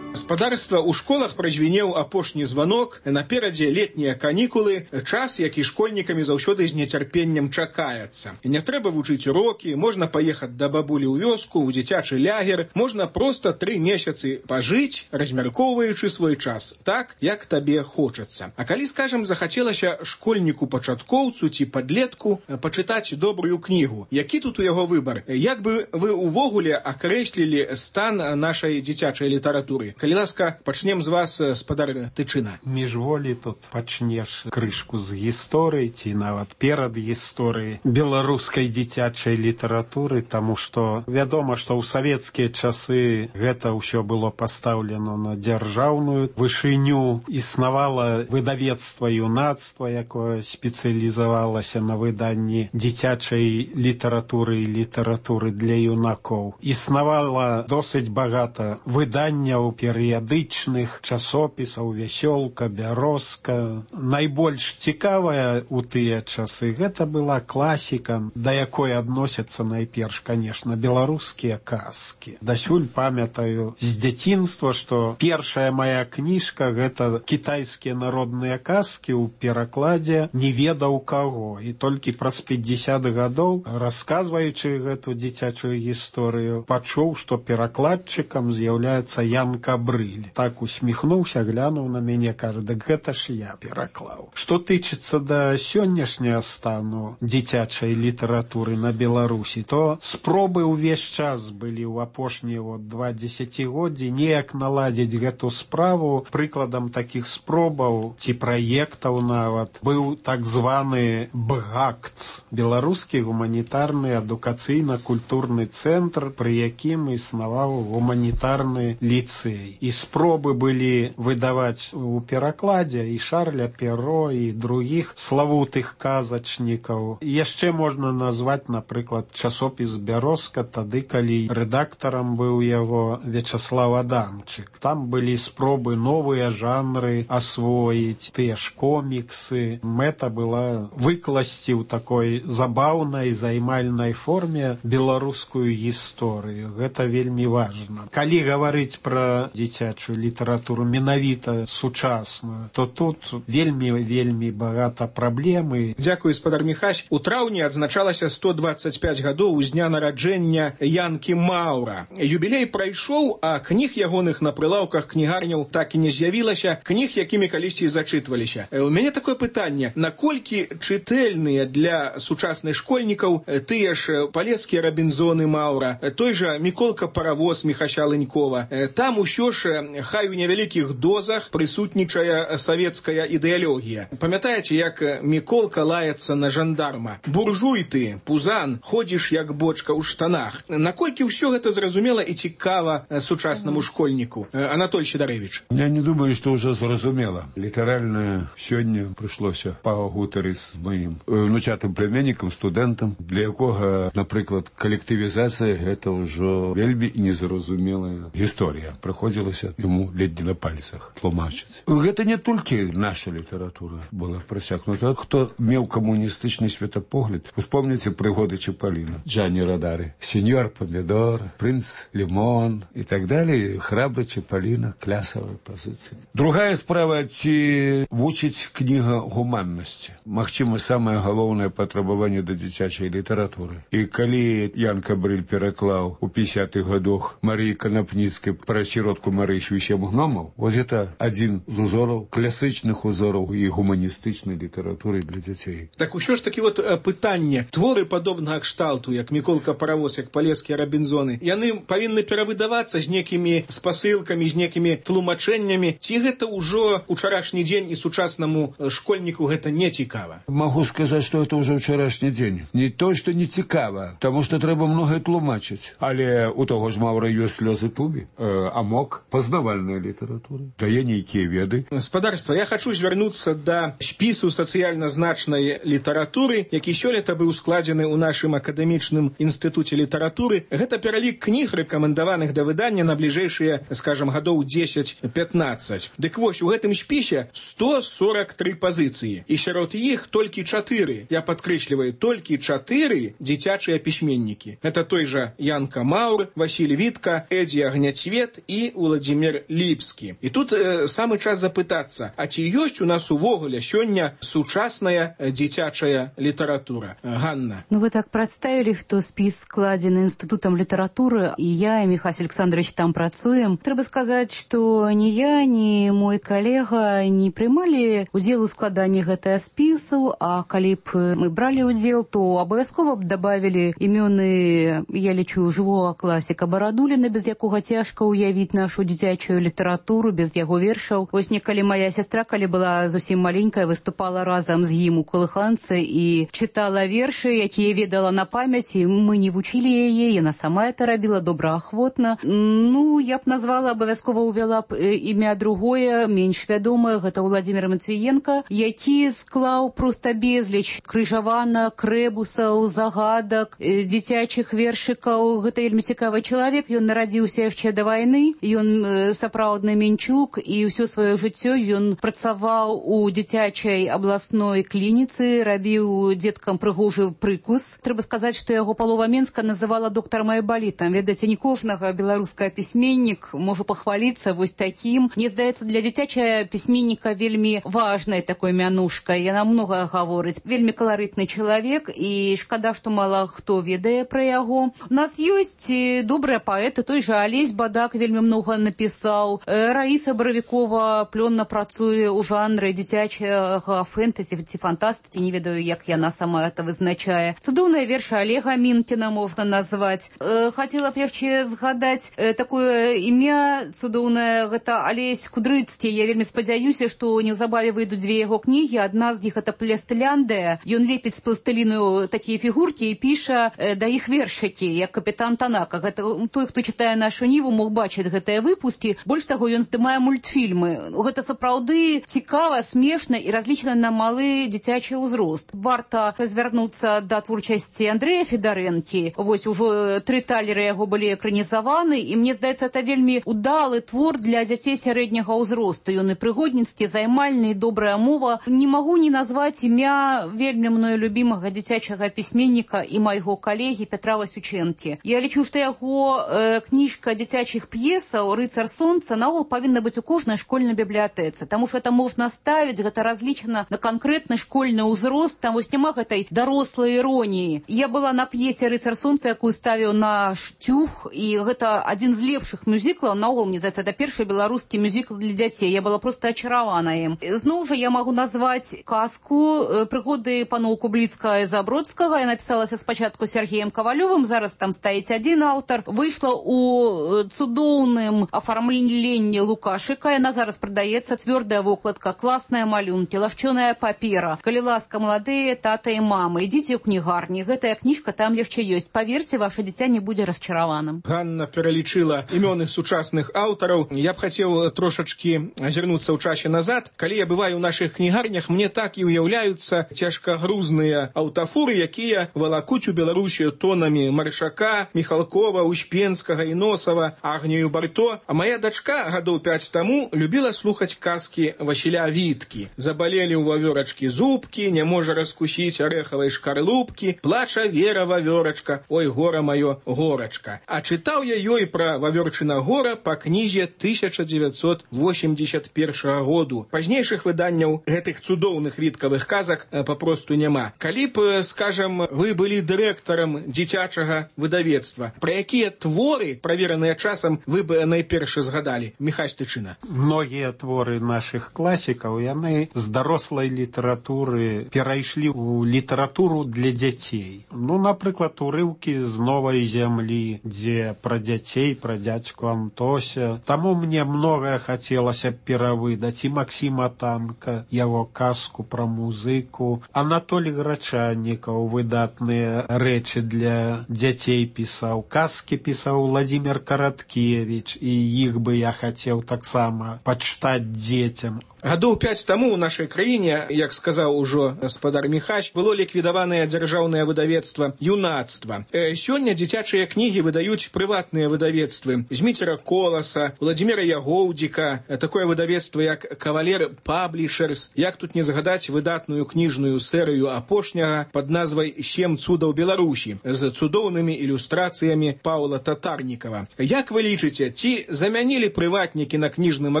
S5: Гаспадарства, у школах празвінеў апошні званок, наперадзе летнія канікулы, час, які школьнікамі заўсёды з нецярпеннем чакаецца. Не трэба вучыць урокі, можна паехаць да бабулі ў вёску, у дзіцячы лягер, можна проста тры месяцы пажыць, размяркоўваючы свой час, так, як табе хочацца. А калі, скажам, захацелася школьніку-пачаткоўцу ці падлетку пачытаць добрую кнігу, які тут у яго выбар? Як бы вы увогуле акрэслілі стан нашай дзіцячай літаратуры? Калі ласка, пачнем з вас, спадар Тычына.
S6: Міжволі тут пачнеш крышку з гісторыі ці нават перад гісторыяй беларускай дзіцячай літаратуры, таму што вядома, што ў савецкія часы гэта ўсё было пастаўлена на дзяржаўную вышыню. Існавала выдавецтва юнацтва, якое спецыялізавалася на выданні дзіцячай літаратуры і літаратуры для юнакоў. Існавала досыць багата выданняў перыядычных, часопісаў, вясёлка, бярозка. Найбольш цікавая ў тыя часы гэта была класіка, да якой адносяцца найперш, конечно, беларускія казкі. Дасюль памятаю з дзяцінства, што першая моя кніжка гэта кітайскія народныя казкі ў перакладзе не ведаў каго. І толькі праз пятьдесят гадоў, расказваючы гэту дзіцячую гісторыю, пачуў, што перакладчыкам з'яўляецца Ян Кабрыль. Так усміхнуўся, глянуў на мяне, кажа, дык гэта ж я пераклаў. Што тычыцца да сённяшняга стану дзіцячай літаратуры на Беларусі, то спробы ўвесь час былі ў апошнія вот два дзесяцігоддзі неяк наладзіць гэту справу. Прыкладам такіх спробаў ці праектаў нават быў так званы БГАКЦ, беларускі гуманітарны адукацыйна-культурны цэнтр, пры якім існаваў гуманітарны ліцэй. І спробы былі выдаваць у перакладзе і Шарля Перро, і другіх славутых казачнікаў. Яшчэ можна назваць, напрыклад, часопіс «Бярозка», тады, калі рэдактарам быў яго Вячаслав Адамчык. Там былі спробы новыя жанры асвоіць, тыя ж коміксы. Мэта была выкласці ў такой забаўнай, займальнай форме беларускую гісторыю. Гэта вельмі важна. Калі гаварыць пра дзіцячую літаратуру менавіта сучасную, то тут вельмі-вельмі багата праблемы.
S5: Дзякуй, спадар Міхась. У траўні адзначалася сто двадцать пять гадоў з дня нараджэння Янкі Маўра. Юбілей прайшоў, а кніг ягоных на прылаўках кнігарняў так і не з'явілася, кніг, якімі калісьці зачытваліся. У мяне такое пытанне: наколькі чытэльныя для сучасных школьнікаў тыя ж палецкія Рабінзоны Маўра, той жа Міколка Паравоз Міхася Лынькова? Там усё ж, хай у невялікіх дозах, прысутнічае савецкая ідэалогія. Памятаеце, як Міколка лаецца на жандарма? Буржуй ты, пузан, ходзіш як бочка ў штанах. Наколькі ўсё гэта зразумела і цікава сучаснаму школьніку? Анатоль Сідарэвіч.
S7: Я не думаю, што ўжо зразумела. Літаральна сёння прыйшлося пагутарыць з маім внучатым племяннікам, студэнтам, для якога, напрыклад, калектывізацыя гэта ўжо вельмі незразумелая гісторыя. Прыходзілася яму ледзь на пальцах тлумачыць. Гэта не толькі наша літаратура была прасякнута. Хто меў камуністычны светапогляд, успомніце прыгоды Чапаліна, Джанні Радары, сеньор Помідор, прынц Лімон і так далее. Храбры Чапаліна, клясавая пазіцыя. Другая справа, ці вучыць кніга гуманнасці. Магчыма, самае галоўнае патрабаванне да дзіцячай літаратуры. І калі Ян Кабрыль пераклаў у пятидесятых гадах Марыі Канапніцкай пра сіротку Марышу і сем гномаў, вот это адзін з узораў, класычных узораў і гуманістычнай літаратуры для дзяцей.
S5: Так усё ж такі вот пытанне. Творы падобнага кшталту, як Міколка Паравоз, як палецкія Рабінзоны, яны павінны перавыдавацца з некімі спасылкамі, з некімі тлумачэннямі. Ці гэта ўжо учарашні дзень і сучаснаму школьніку гэта не цікава?
S7: Могу сказаць, што это ўжо ўчарашні дзень. Не то, што не цікава, таму што трэба многае тлумачыць. Але у таго ж Маўра ёсць слёзы тубі, э, амок, пазнавальная літаратура, дае нейкія веды.
S5: Спадарства, я хачу звярнуцца да спісу сацыяльна значнай літаратуры, які сёлета быў складзены ў нашым акадэмічным інстытуце літаратуры. Гэта пералік кніг, рэкамендаваных да выдання на бліжэйшыя, скажам, гадоў дзесяць пятнаццаць. Дык вось, у гэтым спісе сто сорок три пазіцыі. І сярод іх толькі чатыры, я падкрэсліваю, толькі чатыры дзіцячыя пісьменнікі. Это той жа Янка Маўр, Васіль Вітка, Эдзі Агняцвет і Уладзімір Владзімир Ліпскі. І тут э, самы час запытацца, а ці ёсць у нас увогуле сёння сучасная дзіцячая літаратура? Ганна.
S8: Ну, вы так представили, что спіс складзены Институтом литературы, и я, и Михаил Александрович там працуем. Трэба сказать, что ни я, ни мой коллега не прымалі удзел у складанні гэтага спісу, а калі б мы бралі удзел, то абавязкова б добавили імёны, я лічу, жывога класіка Барадуліна, без якога цяжка уявіць нашу дзіцячую літаратуру, без яго вершаў. Вось некалі моя сестра, калі была зусім маленькая, выступала разам з ім у калыханцы і чытала вершы, якія ведала на памяці. Мы не вучылі яе, яна сама это рабіла добраахвотна. Ну, я б назвала, абавязкова увяла б імя другое, менш вядомае, гэта Владзімир Матвіенка, які склаў проста безліч крыжаванак, рэбусаў, загадак, дзіцячых вершыкаў. Гэта вельмі цікавы чалавек, ён нарадзіўся яшчэ да вайны, ён сапраўдны мінчук, і ўсё сваё жыццё ён працаваў у дзіцячай абласной клініцы, рабіў дзеткам прыгожы прыкус. Трэба сказаць, што яго палова Менска называла доктарам айбалітам. Ведаеце, не кожнага беларускага пісьменнік можа пахваліцца вось такім. Мне здаецца, для дзіцячая пісьменніка вельмі важная такой мянушка. Яна многае гаворыць. Вельмі каларытны чалавек, і шкада, што мала хто ведае пра яго. У нас ёсць добрыя паэты, той жа Алесь Бадак вельмі многа напісаў. Раіса Баравікова плённа працуе ў жанры дзіцячага фэнтэзі ці фантастыкі, не ведаю, як яна сама это вызначае. Цудоўныя вершы Олега Мінкіна можна назваць. Э, хацела б яшчэ згадаць э, такое імя цудоўнае, гэта Алесь Кудрыцкі. Я вельмі спадзяюся, што неўзабаве выйдуць дзве яго кнігі. Адна з іх это Пластыляндыя. Ён лепіць з пластыліну такія фігуркі і піша э, да іх вершыкі, як капітан Танака. Гэта той, хто чытае нашу ніву, мог бачыць гэтыя выпускі. Больш таго, ён здымае мультфільмы. Гэта сапраўды цікава, смешна і разлічана на малы дзіцячы ўзрост. Варта звярнуцца да творчасці Андрэя Федарэнкі. Вось ужо тры талеры яго былі экранізаваны, і мне здаецца, это вельмі удалы твор для дзяцей сярэдняга ўзросту. Ён і прыгодніцкі, займальны, і добрая мова. Не магу не назваць імя вельмі мною любімага дзіцячага пісьменніка і майго калегі Петра Васючэнкі. Я лічу, што яго э, кніжка дзіцячых п'есаў «Рыцар сонца» наогул павінна быць у кожнай школьнай бібліятэцы, таму што это можна ставіць, гэта разлічана на канкрэтны школьны ўзрост, там вось няма гэтай дарослай іроніі. Я была на п'есе «Рыцар сонца», якую ставіў наш Тюх, і гэта адзін з лепшых мюзіклаў, наогул, мне здаецца, это першы беларускі мюзікл для дзяцей. Я была проста ачаравана ім. Зноў жа я магу назваць казку «Прыгоды паноў Кубліцкага і Забродскага». Я напісалася спачатку Сергеем Кавалёвым, зараз там стаіць адзін аўтар. Выйшла ў цудоўным афармленні Лукашыка, яна зараз прадаецца, цвёрдая вокладка, класныя малюнкі, лашчоная папера. Калі ласка, маладыя тата і мамы, ідзіце ў кнігарні, гэтая кніжка там яшчэ ёсць. Паверце, ваше дзіця не будзе расчараваным.
S5: Ганна пералічыла імёны сучасных аўтараў. Я б хацеў трошачкі азірнуцца ў часе назад. Калі я бываю ў нашых кнігарнях, мне так і ўяўляюцца цяжкагрузныя аўтафуры, якія валакуць у Беларусію тонамі Маршака, Міхалкова, Успенскага і Носава, Агнію Барто. А моя дачка гадоў пяць таму любіла слухаць казкі Васіля Віткі. Забалелі ў вавёрачкі зубкі, не можа раскусіць арэхавай шкарлупкі, плача Вера вавёрачка, ой, гора маё, горачка. А чытаў я ёй пра вавёрчына гора па кнізе тысяча дзевяцьсот восемьдесят першага году. Пазнейшых выданняў гэтых цудоўных віткавых казак папросту няма. Калі б, скажам, вы былі дырэктарам дзіцячага выдавецтва, пра якія творы, правераныя часам, вы бы найперш згадалі? Міхась Тычына.
S6: Многія творы нашых класікаў, яны з дарослай літаратуры перайшлі ў літаратуру для дзяцей. Ну, напрыклад, урыўкі з новай зямлі, дзе пра дзяцей, пра дзядзьку Антося. Таму мне многае хацелася перавыдаць. І Максіма Танка, яго казку пра музыку. Анатолій Грачаннікаў выдатныя рэчы для дзяцей пісаў. Казкі пісаў Владзімир Караткевіч, і іх бы я хацеў таксама пачытаць дзецям.
S5: Гадоў пяць таму ў нашай краіне, як сказаў ужо гаспадар Міхась, было ліквідаванае дзяржаўнае выдавецтва «Юнацтва». Сёння дзіцячыя кнігі выдаюць прыватныя выдавецтвы Зміцера Коласа, Владзіміра Ягоўдзіка, такое выдавецтва як «Кавалер Паблішерс», як тут не згадаць выдатную кніжную серыю апошняга пад назвай «Сем цудаў Беларусі» з цудоўнымі ілюстрацыямі Паўла Татарнікава. Як вы лічыце, ці замянілі прыватнікі на кніжным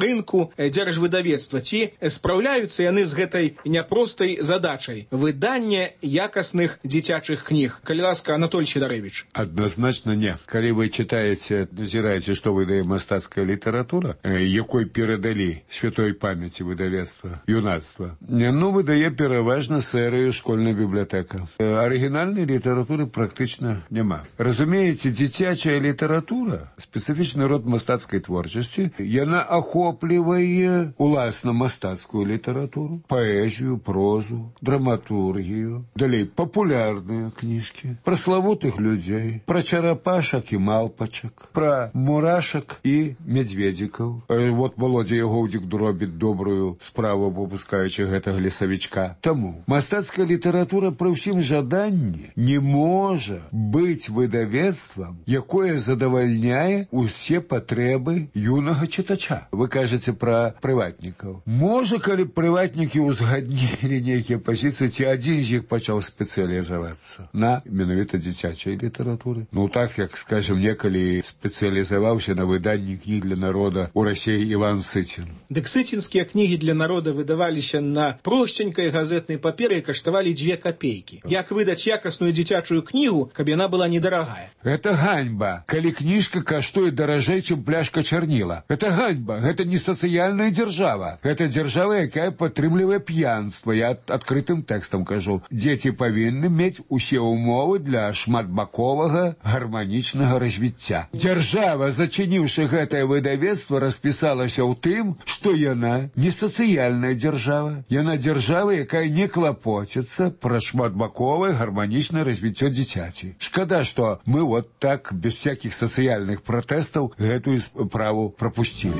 S5: рынку дзяржвыдавецтва, ці спраўляюцца яны з гэтай няпростай задачай выдання якасных дзіцячых кніг? Калі ласка, Анатоль Сідарэвіч.
S7: Адназначна не. Калі вы читаеце, назіраеце, што выдае мастацкая літаратура, якой перадалі святой памяці выдавецтва «Юнацтва», ну, выдае пераважна серыю «Школьная бібліятэка». Арыгінальнай літаратуры практычна няма. Разумееце, дзіцячая літаратура, спецыфічны род мастацкай творчасці, яна ахоплівае уласна мастацкую літаратуру, паэзію, прозу, драматургію, далей папулярныя кніжкі, пра славутых людзей, пра чарапашак і малпачак, пра мурашак і мядзведзікаў. Вот Володя Ягоўдзік робіць добрую справу, выпускаючы гэтага лесавічка. Таму мастацкая літаратура пры ўсім жаданні не можа быць выдавецтвам, якое задавальняе усе патрэбы юнага чытача. Вы кажаце пра прыватнікаў. Можа, калі прыватнікі ўзгаднілі нейкія пазіцыі, ці адзін з іх пачаў спецыялізавацца на менавіта дзіцячай літаратуры. Ну так, як, скажем, некалі спецыялізаваўся на выданні кніг для народа ў Расіі Іван Сыцін.
S5: Дык сыцінскія кнігі для народа выдаваліся на просценькай газетнай паперы і каштавалі дзве капейкі. Як выдаць якасную дзіцячую кнігу, каб яна была недарагая?
S7: Гэта ганьба, калі кніжка каштуе даражэй, чым пляшка чарніла. Гэта ганьба, гэта не сацыяльная дзяржава. Гэта дзяржава, якая падтрымлівае п'янства. Я адкрытым тэкстам кажу. Дзеці павінны мець усе ўмовы для шматбаковага гарманічнага развіцця. Дзяржава, зачыніўшы гэтае выдавецтва, распісалася ў тым, што яна не сацыяльная дзяржава. Яна дзяржава, якая не клапоціцца пра шматбаковае гарманічнае развіццё дзіцяці. Шкада, што мы вот так, без всякіх сацыяльных пратэстаў, гэтую справу прапусцілі.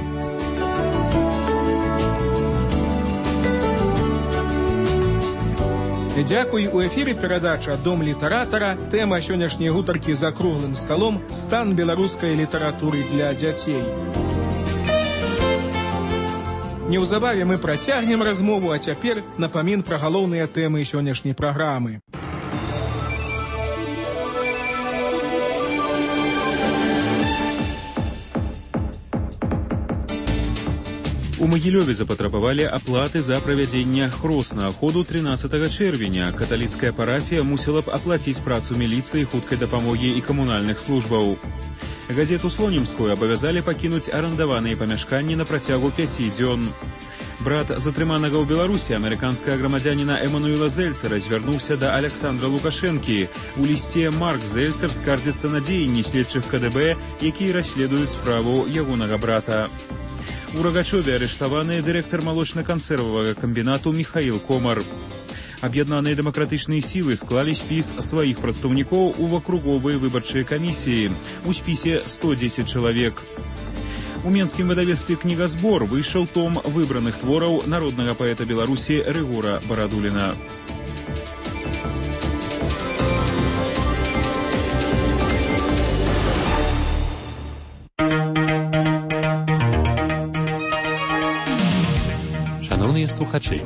S5: Дзякуй. У эфіры перадача «Дом літаратара». Тэма сённяшняй гутаркі за круглым сталом «Стан беларускай літаратуры для дзяцей». Неўзабаве мы працягнем размову, а цяпер напамін пра галоўныя тэмы сённяшняй праграмы.
S9: У Магілёве запатрабавалі аплаты за правядзенне хроснага ходу трынаццатага чэрвеня. Каталіцкая парафія мусіла б аплаціць працу міліцыі, хуткай дапамогі і камунальных службаў. Газету «Слонімскую» абавязалі пакінуць арандаваныя памяшканні на працягу пяці дзён. Брат затрыманага ў Беларусі, амерыканскага грамадзяніна Эмануэла Зельцера, звярнуўся да Александра Лукашэнкі. У лісце Марк Зельцер скардзіцца на дзеянні следчых ка дэ бэ, якія расследуюць справу ягонага брата. У Рагачове арыштаваны дырэктар малочна-кансервавага камбінату Міхаіл Комар. Аб'яднаныя дэмакратычныя сілы склалі спіс сваіх прадстаўнікоў у акруговыя выбарчыя камісіі. У спісе сто дзесяць чалавек. У менскім выдавецтве «Кнігазбор» выйшаў том выбраных твораў народнага паэта Беларусі Рыгора Барадуліна.
S10: Шановні слухачі,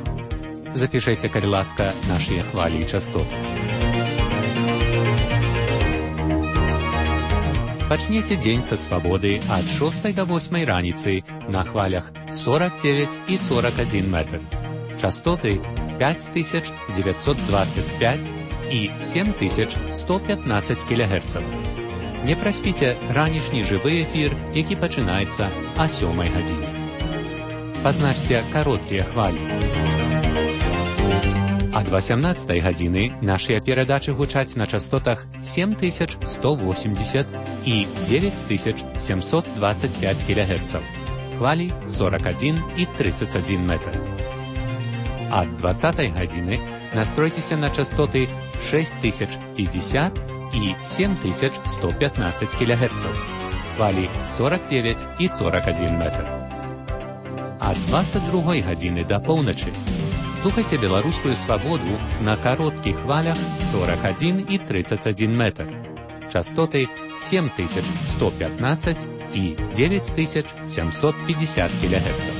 S10: запишіться, калі ласка, наші хвалі і частоти. Пачніце дзень са свабоды ад шостай да восьмай раніцы на хвалях сорок девять і сорок один метр. Частоты пять тысяч девятьсот двадцать пять і семь тысяч сто пятнадцать кілогерцаў. Не праспіце ранішні жывы эфір, які пачынаецца а сёмай гадзіне. Пазначце кароткія хвалі. Ад восемнадцатай гадзіны нашыя перадачы гучаць на частотах семь тысяч сто восемьдесят і девять тысяч семьсот двадцать пять кілогерцаў. Хвалі сорок один і тридцать один метр. Ад двадцатай гадзіны настройцеся на частоты шесть тысяч пятьдесят і семь тысяч сто пятнадцать кілогерцаў. Хвалі сорок девять і сорок один метр. ад двадцать другой гадзіны да поўначы. Слухайце беларускую свабоду на кароткіх хвалях сорок один и тридцать один метр. Частоты семь тысяч сто пятнадцать и девять тысяч семьсот пятьдесят килогерцев.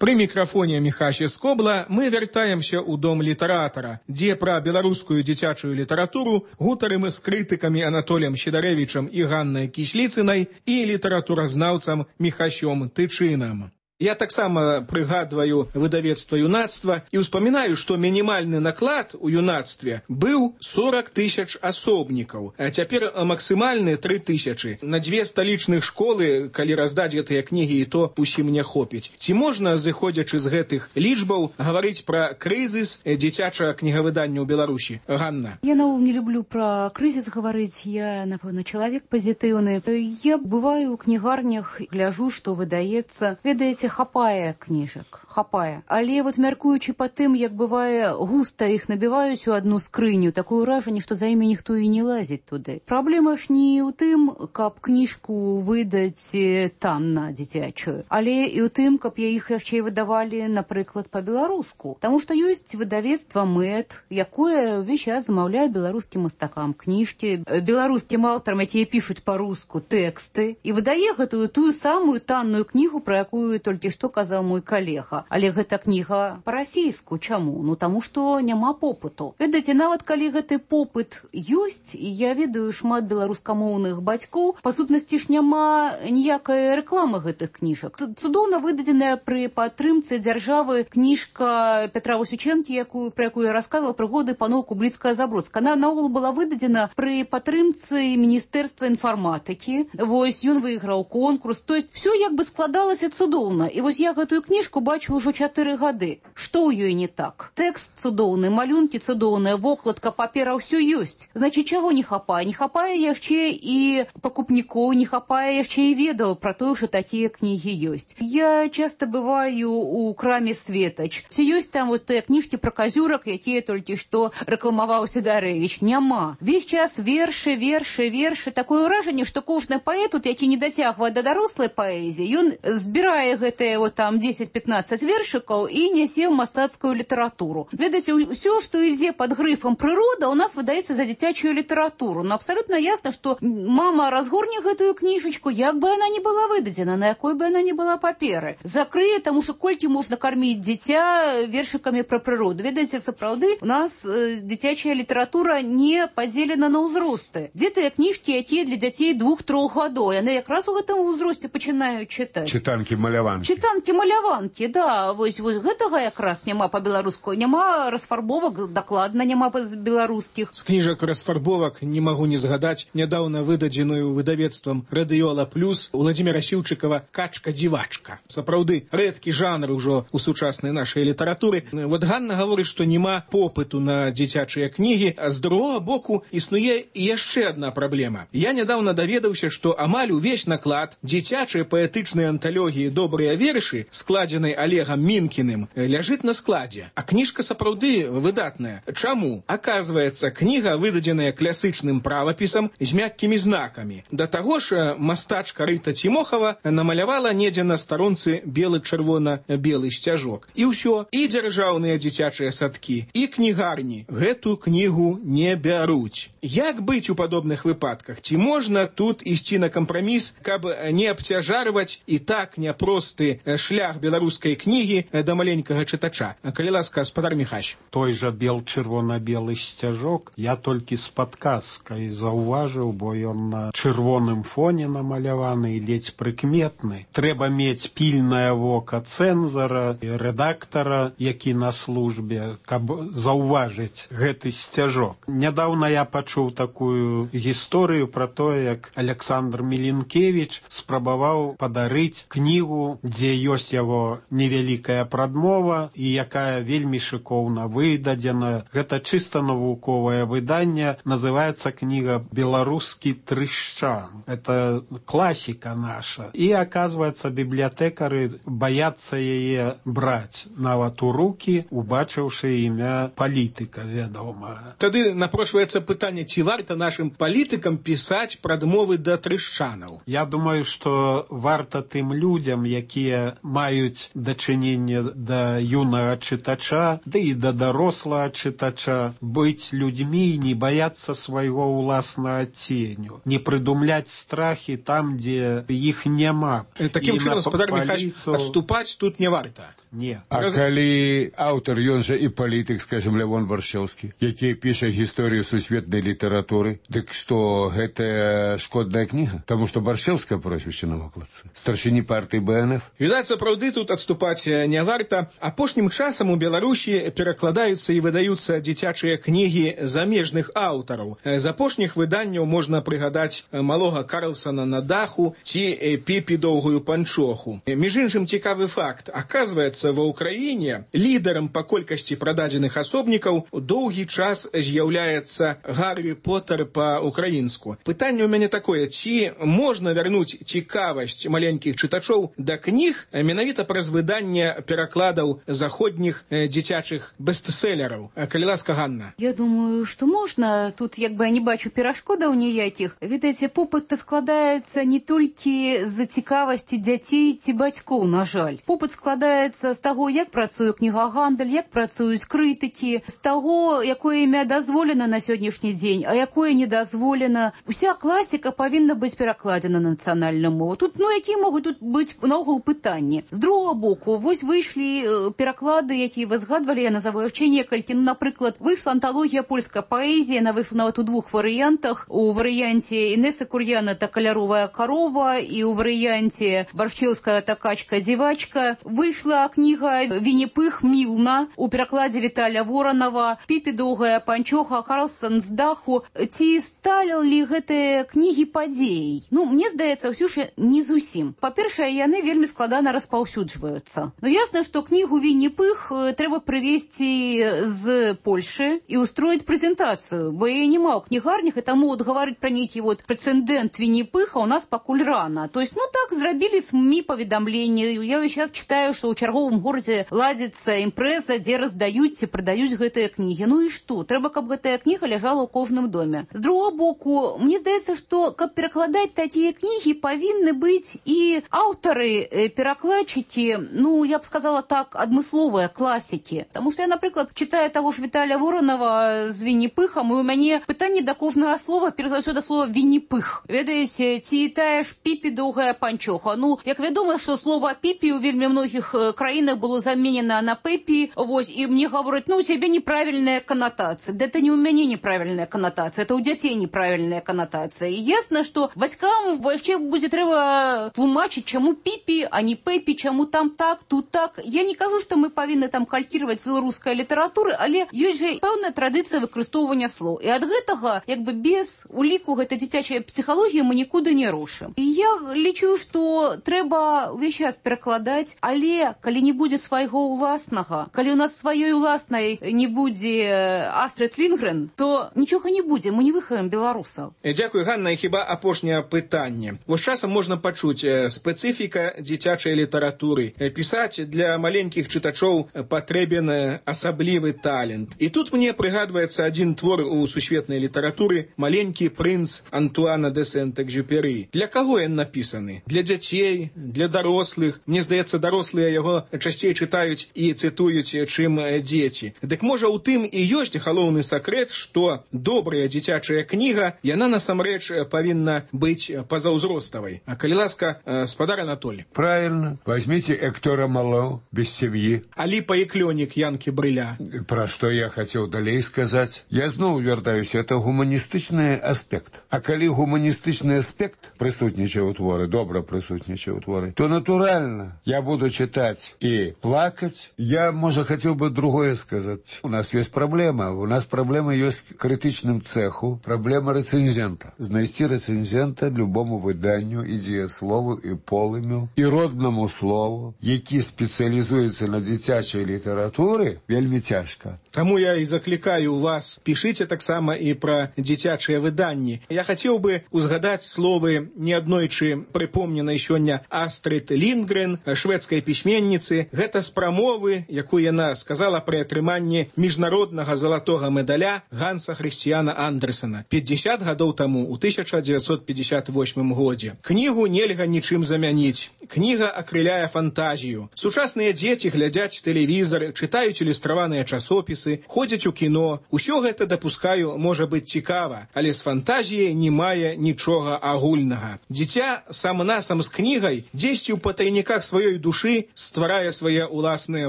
S5: Пры мікрафоне Міхася Скобла мы вяртаемся ў дом літаратара, дзе пра беларускую дзіцячую літаратуру гутарым з крытыкамі Анатоліем Сідарэвічам і Ганнай Кісліцынай і літаратуразнаўцам Міхасём Тычынам. Я таксама прыгадваю выдавецтва юнацтва і ўспамінаю, што мінімальны наклад у юнацтве быў сорок тысяч асобнікаў, а цяпер максімальны тры тысячы. На дзве сталічных школы, калі раздаць гэтыя кнігі, і то усім не хопіць. Ці можна, зыходзячы з гэтых лічбаў, гаварыць пра крызіс дзіцячага кнігавыдання ў Беларусі? Ганна.
S8: Я наогул не люблю пра крызіс гаварыць, я, напэўна, чалавек пазітыўны. Я бываю ў кнігарнях, гляжу, што выдаецца. Ведаеце, хапае кніжак, хапае. Але вот мяркуючы па тым, як бывае густа іх набіваюць у адну скрыню, такое ўражанне, што за імі ніхто і не лазіць туды. Праблема ж не ў тым, каб кніжку выдаць танна дзіцячую, але і ў тым, каб я іх яшчэ выдавалі, напрыклад, па-беларуску. Таму што ёсць выдавецтва мэт, якое ўвесь час замаўляе беларускім мастакам кніжкі, беларускім аўтарам, якія пішуць па-руску тэксты, і выдае гэтую тую самую танную кнігу, пра якую толькі што казаў мой калега. Але гэта кніга па-расійску. Чаму? Ну, таму што няма попыту. Ведаеце, нават калі гэты попыт ёсць, і я ведаю шмат беларускамоўных бацькоў, па сутнасці ж няма ніякай рэкламы гэтых кніжак. Цудоўна выдадзеная пры падтрымцы дзяржавы кніжка Петра Васючэнкі, якую, пра якую я расказвала, прыгоды паноў Кубліцкага-Забродска. Она наогул была выдадзена пры падтрымцы Міністэрства інфарматыкі. Вось, ён выйграў конкурс. То есть, все як бы складалася цудоўна. І вось я гэтую кніжку бачу ўжо чатыры гады. Што ў ёй не так? Тэкст цудоўны, малюнкі цудоўныя, вокладка, папера, ўсё ёсць. Значыць, чаго не хапае? Не хапае яшчэ і пакупнікоў, не хапае яшчэ і ведаў пра тое, што такія кнігі ёсць. Я часта бываю у краме «Светач». Ці ёсць там вот тыя кніжкі пра казюрак, якія толькі што рэкламаваў Сідарэвіч? Няма. Весь час вершы, вершы, вершы. Такое ўражанне, што кожны паэт, які не дасягвае да дарослай паэзіі, ён збірае гэтыя вот там дзесяць-пятнаццаць вершыкаў і нясе ў мастацкую літаратуру. Ведаеце, ўсё, што ідзе пад грыфам прырода, у нас выдаецца за дзіцячую літаратуру. Но абсалютна ясна, што мама разгорне гэтую кніжачку, як бы яна не была выдадзена, на якой бы яна не была паперы. Закрые, таму што колькі можна карміць дзіця вершыкамі пра прыроду. Ведаеце, сапраўды, у нас э, дзіцячая літаратура не падзелена на ўзросты. Дзе тыя кніжкі, якія для дзяцей двух-трох гадоў, яны якраз у гэтым узросце пачынаюць чытаць.
S7: Чытанкі, маляванкі.
S8: Чытанкі, маляванкі, да, вось, вось гэтага якраз няма па-беларуску, няма расфарбовак, дакладна няма беларускіх.
S5: З кніжак расфарбовак не магу не згадаць нядаўна выдадзеную выдавецтвам «Радыёла Плюс» Владзіміра Сіўчыкава «Качка-дзівачка». Сапраўды, рэдкі жанр ужо у сучаснай нашай літаратуры. Вот Ганна гаворыць, што няма попыту на дзіцячыя кнігі, а з другога боку існуе яшчэ адна праблема. Я нядаўна даведаўся, што амаль увесь наклад дзіцячай паэтычнай анталогіі «Добрыя вершы», складзенай Олегам Мінкіным, ляжыць на складзе. А кніжка сапраўды выдатная. Чаму? Аказваецца, кніга выдадзеная класычным правапісам з мяккімі знакамі. Да таго ж мастачка Рыта Цімохава намалявала недзе на старонцы белы-чырвона-белы сцяжок. І ўсё, і дзяржаўныя дзіцячыя садкі, і кнігарні гэту кнігу не бяруць. Як быць у падобных выпадках? Ці можна тут ісці на кампраміс, каб не абцяжарваць і так няпросты шлях беларускай кнігі да маленькага чытача? Калі ласка, спадар Міхась.
S6: Той жа бел-чырвона-белы сцяжок я толькі з падказкай заўважыў, бо ён на чырвоным фоне намаляваны і ледзь прыкметны. Трэба мець пільнае вока цэнзара і рэдактара, які на службе, каб заўважыць гэты сцяжок. Нядаўна я пачуў такую гісторыю пра тое, як Александр Міленкевіч спрабаваў падарыць кнігу, дзе ёсць яго невялікая прадмова і якая вельмі шыкоўна выдадзена. Гэта чыста навуковае выданне, называецца кніга «Беларускі трышчан». Это класіка наша. І, аказваецца, бібліятэкары баяцца яе браць нават у рукі, убачыўшы імя палітыка, вядома.
S5: Тады напрошваецца пытанне, ці варта нашым палітыкам пісаць прадмовы да трышчанаў?
S6: Я думаю, што варта тым людзям, які якія маюць дачыненне да юнага чытача, ды і да дарослага чытача, быць людзьмі, не баяцца свайго ўласнага ценю, не прыдумляць страхі там, дзе іх няма.
S5: Такім чынам, спадар Михайлович, адступаць тут не варта.
S6: Не.
S7: А калі аўтар, ён жа і палітык, скажем, Лявон Варшаўскі, які піша гісторыю сусветнай літаратуры, дык што гэта шкодная кніга? Таму што Варшаўская прозвішча на вокладцы. Старшыні партыі Бэ Эн Эф.
S5: Відаць, сапраўды тут адступаць не варта. Апошнім часам у Беларусі перакладаюцца і выдаюцца дзіцячыя кнігі замежных аўтараў. З апошніх выданняў можна прыгадаць малога Карлсона на даху ці Піпі доўгую панчоху. Між іншым, цікавы факт. Аказваецца, ва ўкраіне лідарам па колькасці прададзеных асобнікаў доўгі час з'яўляецца Гаррі Поттер па-украінску. Пытанне ў мяне такое, ці можна вярнуць цікавасць маленькіх чытачоў да кніг менавіта праз выданне перакладаў заходніх дзіцячых бестселераў? Калі ласка, Ганна.
S8: Я думаю, што можна. Тут як бы я не бачу перашкодаў ніякіх. Ведаеце, попыт складаецца не толькі з цікавасці дзяцей ці бацькоў, на жаль. Попыт складаецца з таго, як працуе кнігагандаль, як працуюць крытыкі, з таго, якое імя дазволена на сённяшні дзень, а якое не дазволена. Уся класіка павінна быць перакладзена на нацыянальную мову. Тут, ну, якія могуць тут быць наогул пытанні? З другого боку, вось выйшлі пераклады, якія вы згадвалі, я назову яшчэ некалькі. Ну, напрыклад, выйшла анталогія польская паэзія, яна выйшла нават у двух варыянтах. У варыянце Інесы Кур'яна «Та каляровая корова» і ў варыянце Баршчеўская «Та качка-дзівачка». Выйшла кніга «Вінні-Пых Мілна» у перакладзе Віталя Воранова, Піпі доўгая панчоха, Карлсон з даху. Ці сталі гэтыя кнігі падзеяй? Ну, мне здаецца, ўсё ж не зусім. Па-першае, яны вельмі складана распаўсюджваюцца. Ну, ясна, што кнігу «Вінні-Пых» трэба прывезці з Польшы і устроіць прэзентацыю, бо яе няма ў кнігарнях, і таму вот гаварыць пра нейкі вот прэцэдэнт Вінні-Пыха у нас пакуль рана. То есть, ну так, зрабілі СМІ паведамленні. Я сейчас читаю, што ў чарговым горадзе ладзіцца імпрэза, дзе раздаюць ці прадаюць гэтыя кнігі. Ну і што? Трэба, каб гэтая кніга ляжала ў кожным доме. З другого боку, мне здаецца, што каб перакладаць такія кнігі, павінны быць і аўтары, перакладчыкі, ну, я б сказала так, адмысловыя класікі. Таму што я, напрыклад, читаю таго ж Віталя Воранова з Вінні-Пыхам, і ў мяне пытанне да кожнага слова, перш за ўсё да слова Вінні-Пых. Ведаеце, ці тая ж Піпі доўгая панчоха. Ну, як вядома, што слова Піпі ў вельмі многіх краінах было заменена на Пепі, вось, і мне гавораць, ну, у цябе неправільная канатацыя. Да это не ў мяне неправільная канатацыя, это ў дзяцей неправільная канатацыя. І ясна, што бацькам яшчэ будзе трэба тлумачыць, чаму Піпі, а не Пепі, чаму там так, тут так. Я не кажу, што мы павінны там калькіраваць беларускай літаратуры, але ёсць жа пэўная традыцыя выкарыстоўвання слоў. І ад гэтага, як бы без уліку гэтай дзіцячай псіхалогіі мы нікуды не рушым. І я лічу, што трэба ўвесь час перакладаць, але калі не будзе свайго ўласнага, калі у нас сваёй уласнай не будзе Астрид Лінгрен, то нічога не будзе, мы не выхаваем беларусаў.
S5: Дзякуй, Ганна, і хіба апошняе пытанне. Вось часам можна пачуць спецыфіка дзіцячай літаратуры. Пісаць для маленькіх чытачоў патрэбен асаблівы талент. І тут мне прыгадваецца адзін твор у сусветнай літаратуры «Маленькі прынц» Антуана де Сент-Экзюпері. Для каго ён напісаны? Для дзяцей, для дарослых. Мне здаецца, дарослыя яго часцей чытаюць і цытуюць, чым дзеці. Дык можа ў тым і ёсць галоўны сакрэт, што добрая дзіцячая кніга, яна насамрэч павінна быць пазаўзроставай. А калі ласка, спадар Анатолий.
S7: Правильно. Возьмите Эктора Мало «Без семьи».
S5: Алипа и Клёник Янки Брыля.
S7: Про что я хотел далей сказать. Я знову вяртаюся, это гуманістычны аспект. А калі гуманістычны аспект прысутнічае ў творы, добра прысутнічае ў творы, то натуральна я буду читать и плакать. Я, может, хотел бы другое сказать. У нас есть проблема. У нас проблема есть к критичным цеху. Проблема рецензента. Знайсці рецензента любому выданню, і дзеяслову, і полымю, і родному слову, які спецыялізуецца на дзіцячай літаратуры, вельмі цяжка.
S5: Таму я і заклікаю вас, пішыце таксама і пра дзіцячыя выданні. Я хацеў бы узгадаць словы неаднойчы прыпомненай сёння Астрид Лінгрен, шведскай пісьменніцы, кісліцы, гэта з прамовы, якую яна сказала пры атрыманні міжнароднага залатога медаля Ганса Хрысціяна Андерсена пятьдесят гадоў таму у тысяча девятьсот пятьдесят восьмым годзе. Кнігу нельга нічым замяніць. Кніга акрыляе фантазію. Сучасныя дзеці глядзяць тэлевізор, чытаюць ілюстраваныя часопісы, ходзяць у кіно. Усё гэта, дапускаю, можа быць цікава, але з фантазіяй не мае нічога агульнага. Дзіця сам-насам з кнігай дзесьці ў патайніках сваёй душы стварае свае ўласныя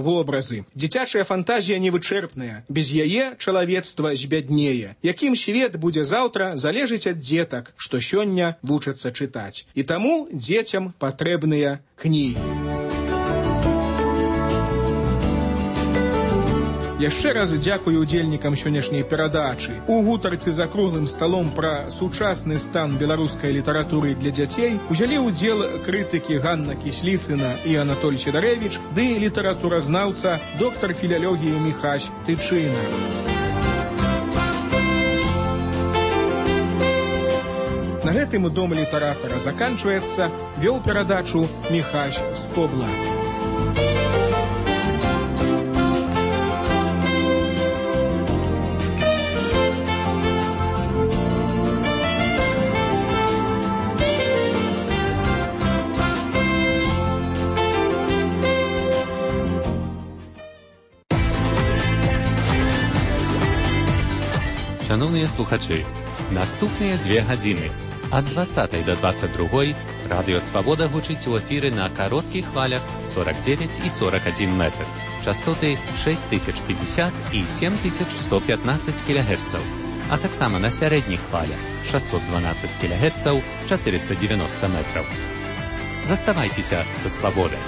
S5: вобразы. Дзіцячая фантазія невычэрпная. Без яе чалавецтва збяднее. Якім свет будзе заўтра, залежыць ад дзетак, што сёння вучацца чытаць. І таму дзецям патрэбныя кнігі. Яшчэ раз дзякую удзельнікам сённяшняй перадачы. У гутарцы за круглым сталом пра сучасны стан беларускай літаратуры для дзяцей узялі ўдзел крытыкі Ганна Кісліцына і Анатоль Сідарэвіч ды літаратуразнаўца доктар філалогіі Міхась Тычына. На гэтым дом літаратара заканчваецца, вёў перадачу Міхась Скобла.
S10: Шановныя слухачы, наступныя дзве гадзіны ад дваццатай да дваццаць другой радыё Свабода гучыць у эфіры на кароткіх хвалях сорок девять і сорок один метр, частоты шесть тысяч пятьдесят і семь тысяч сто пятнадцать кілогерцаў, а таксама на сярэдніх хвалях шестьсот двенадцать кілогерцаў, четыреста девяносто метров. Заставайцеся са Свабодай.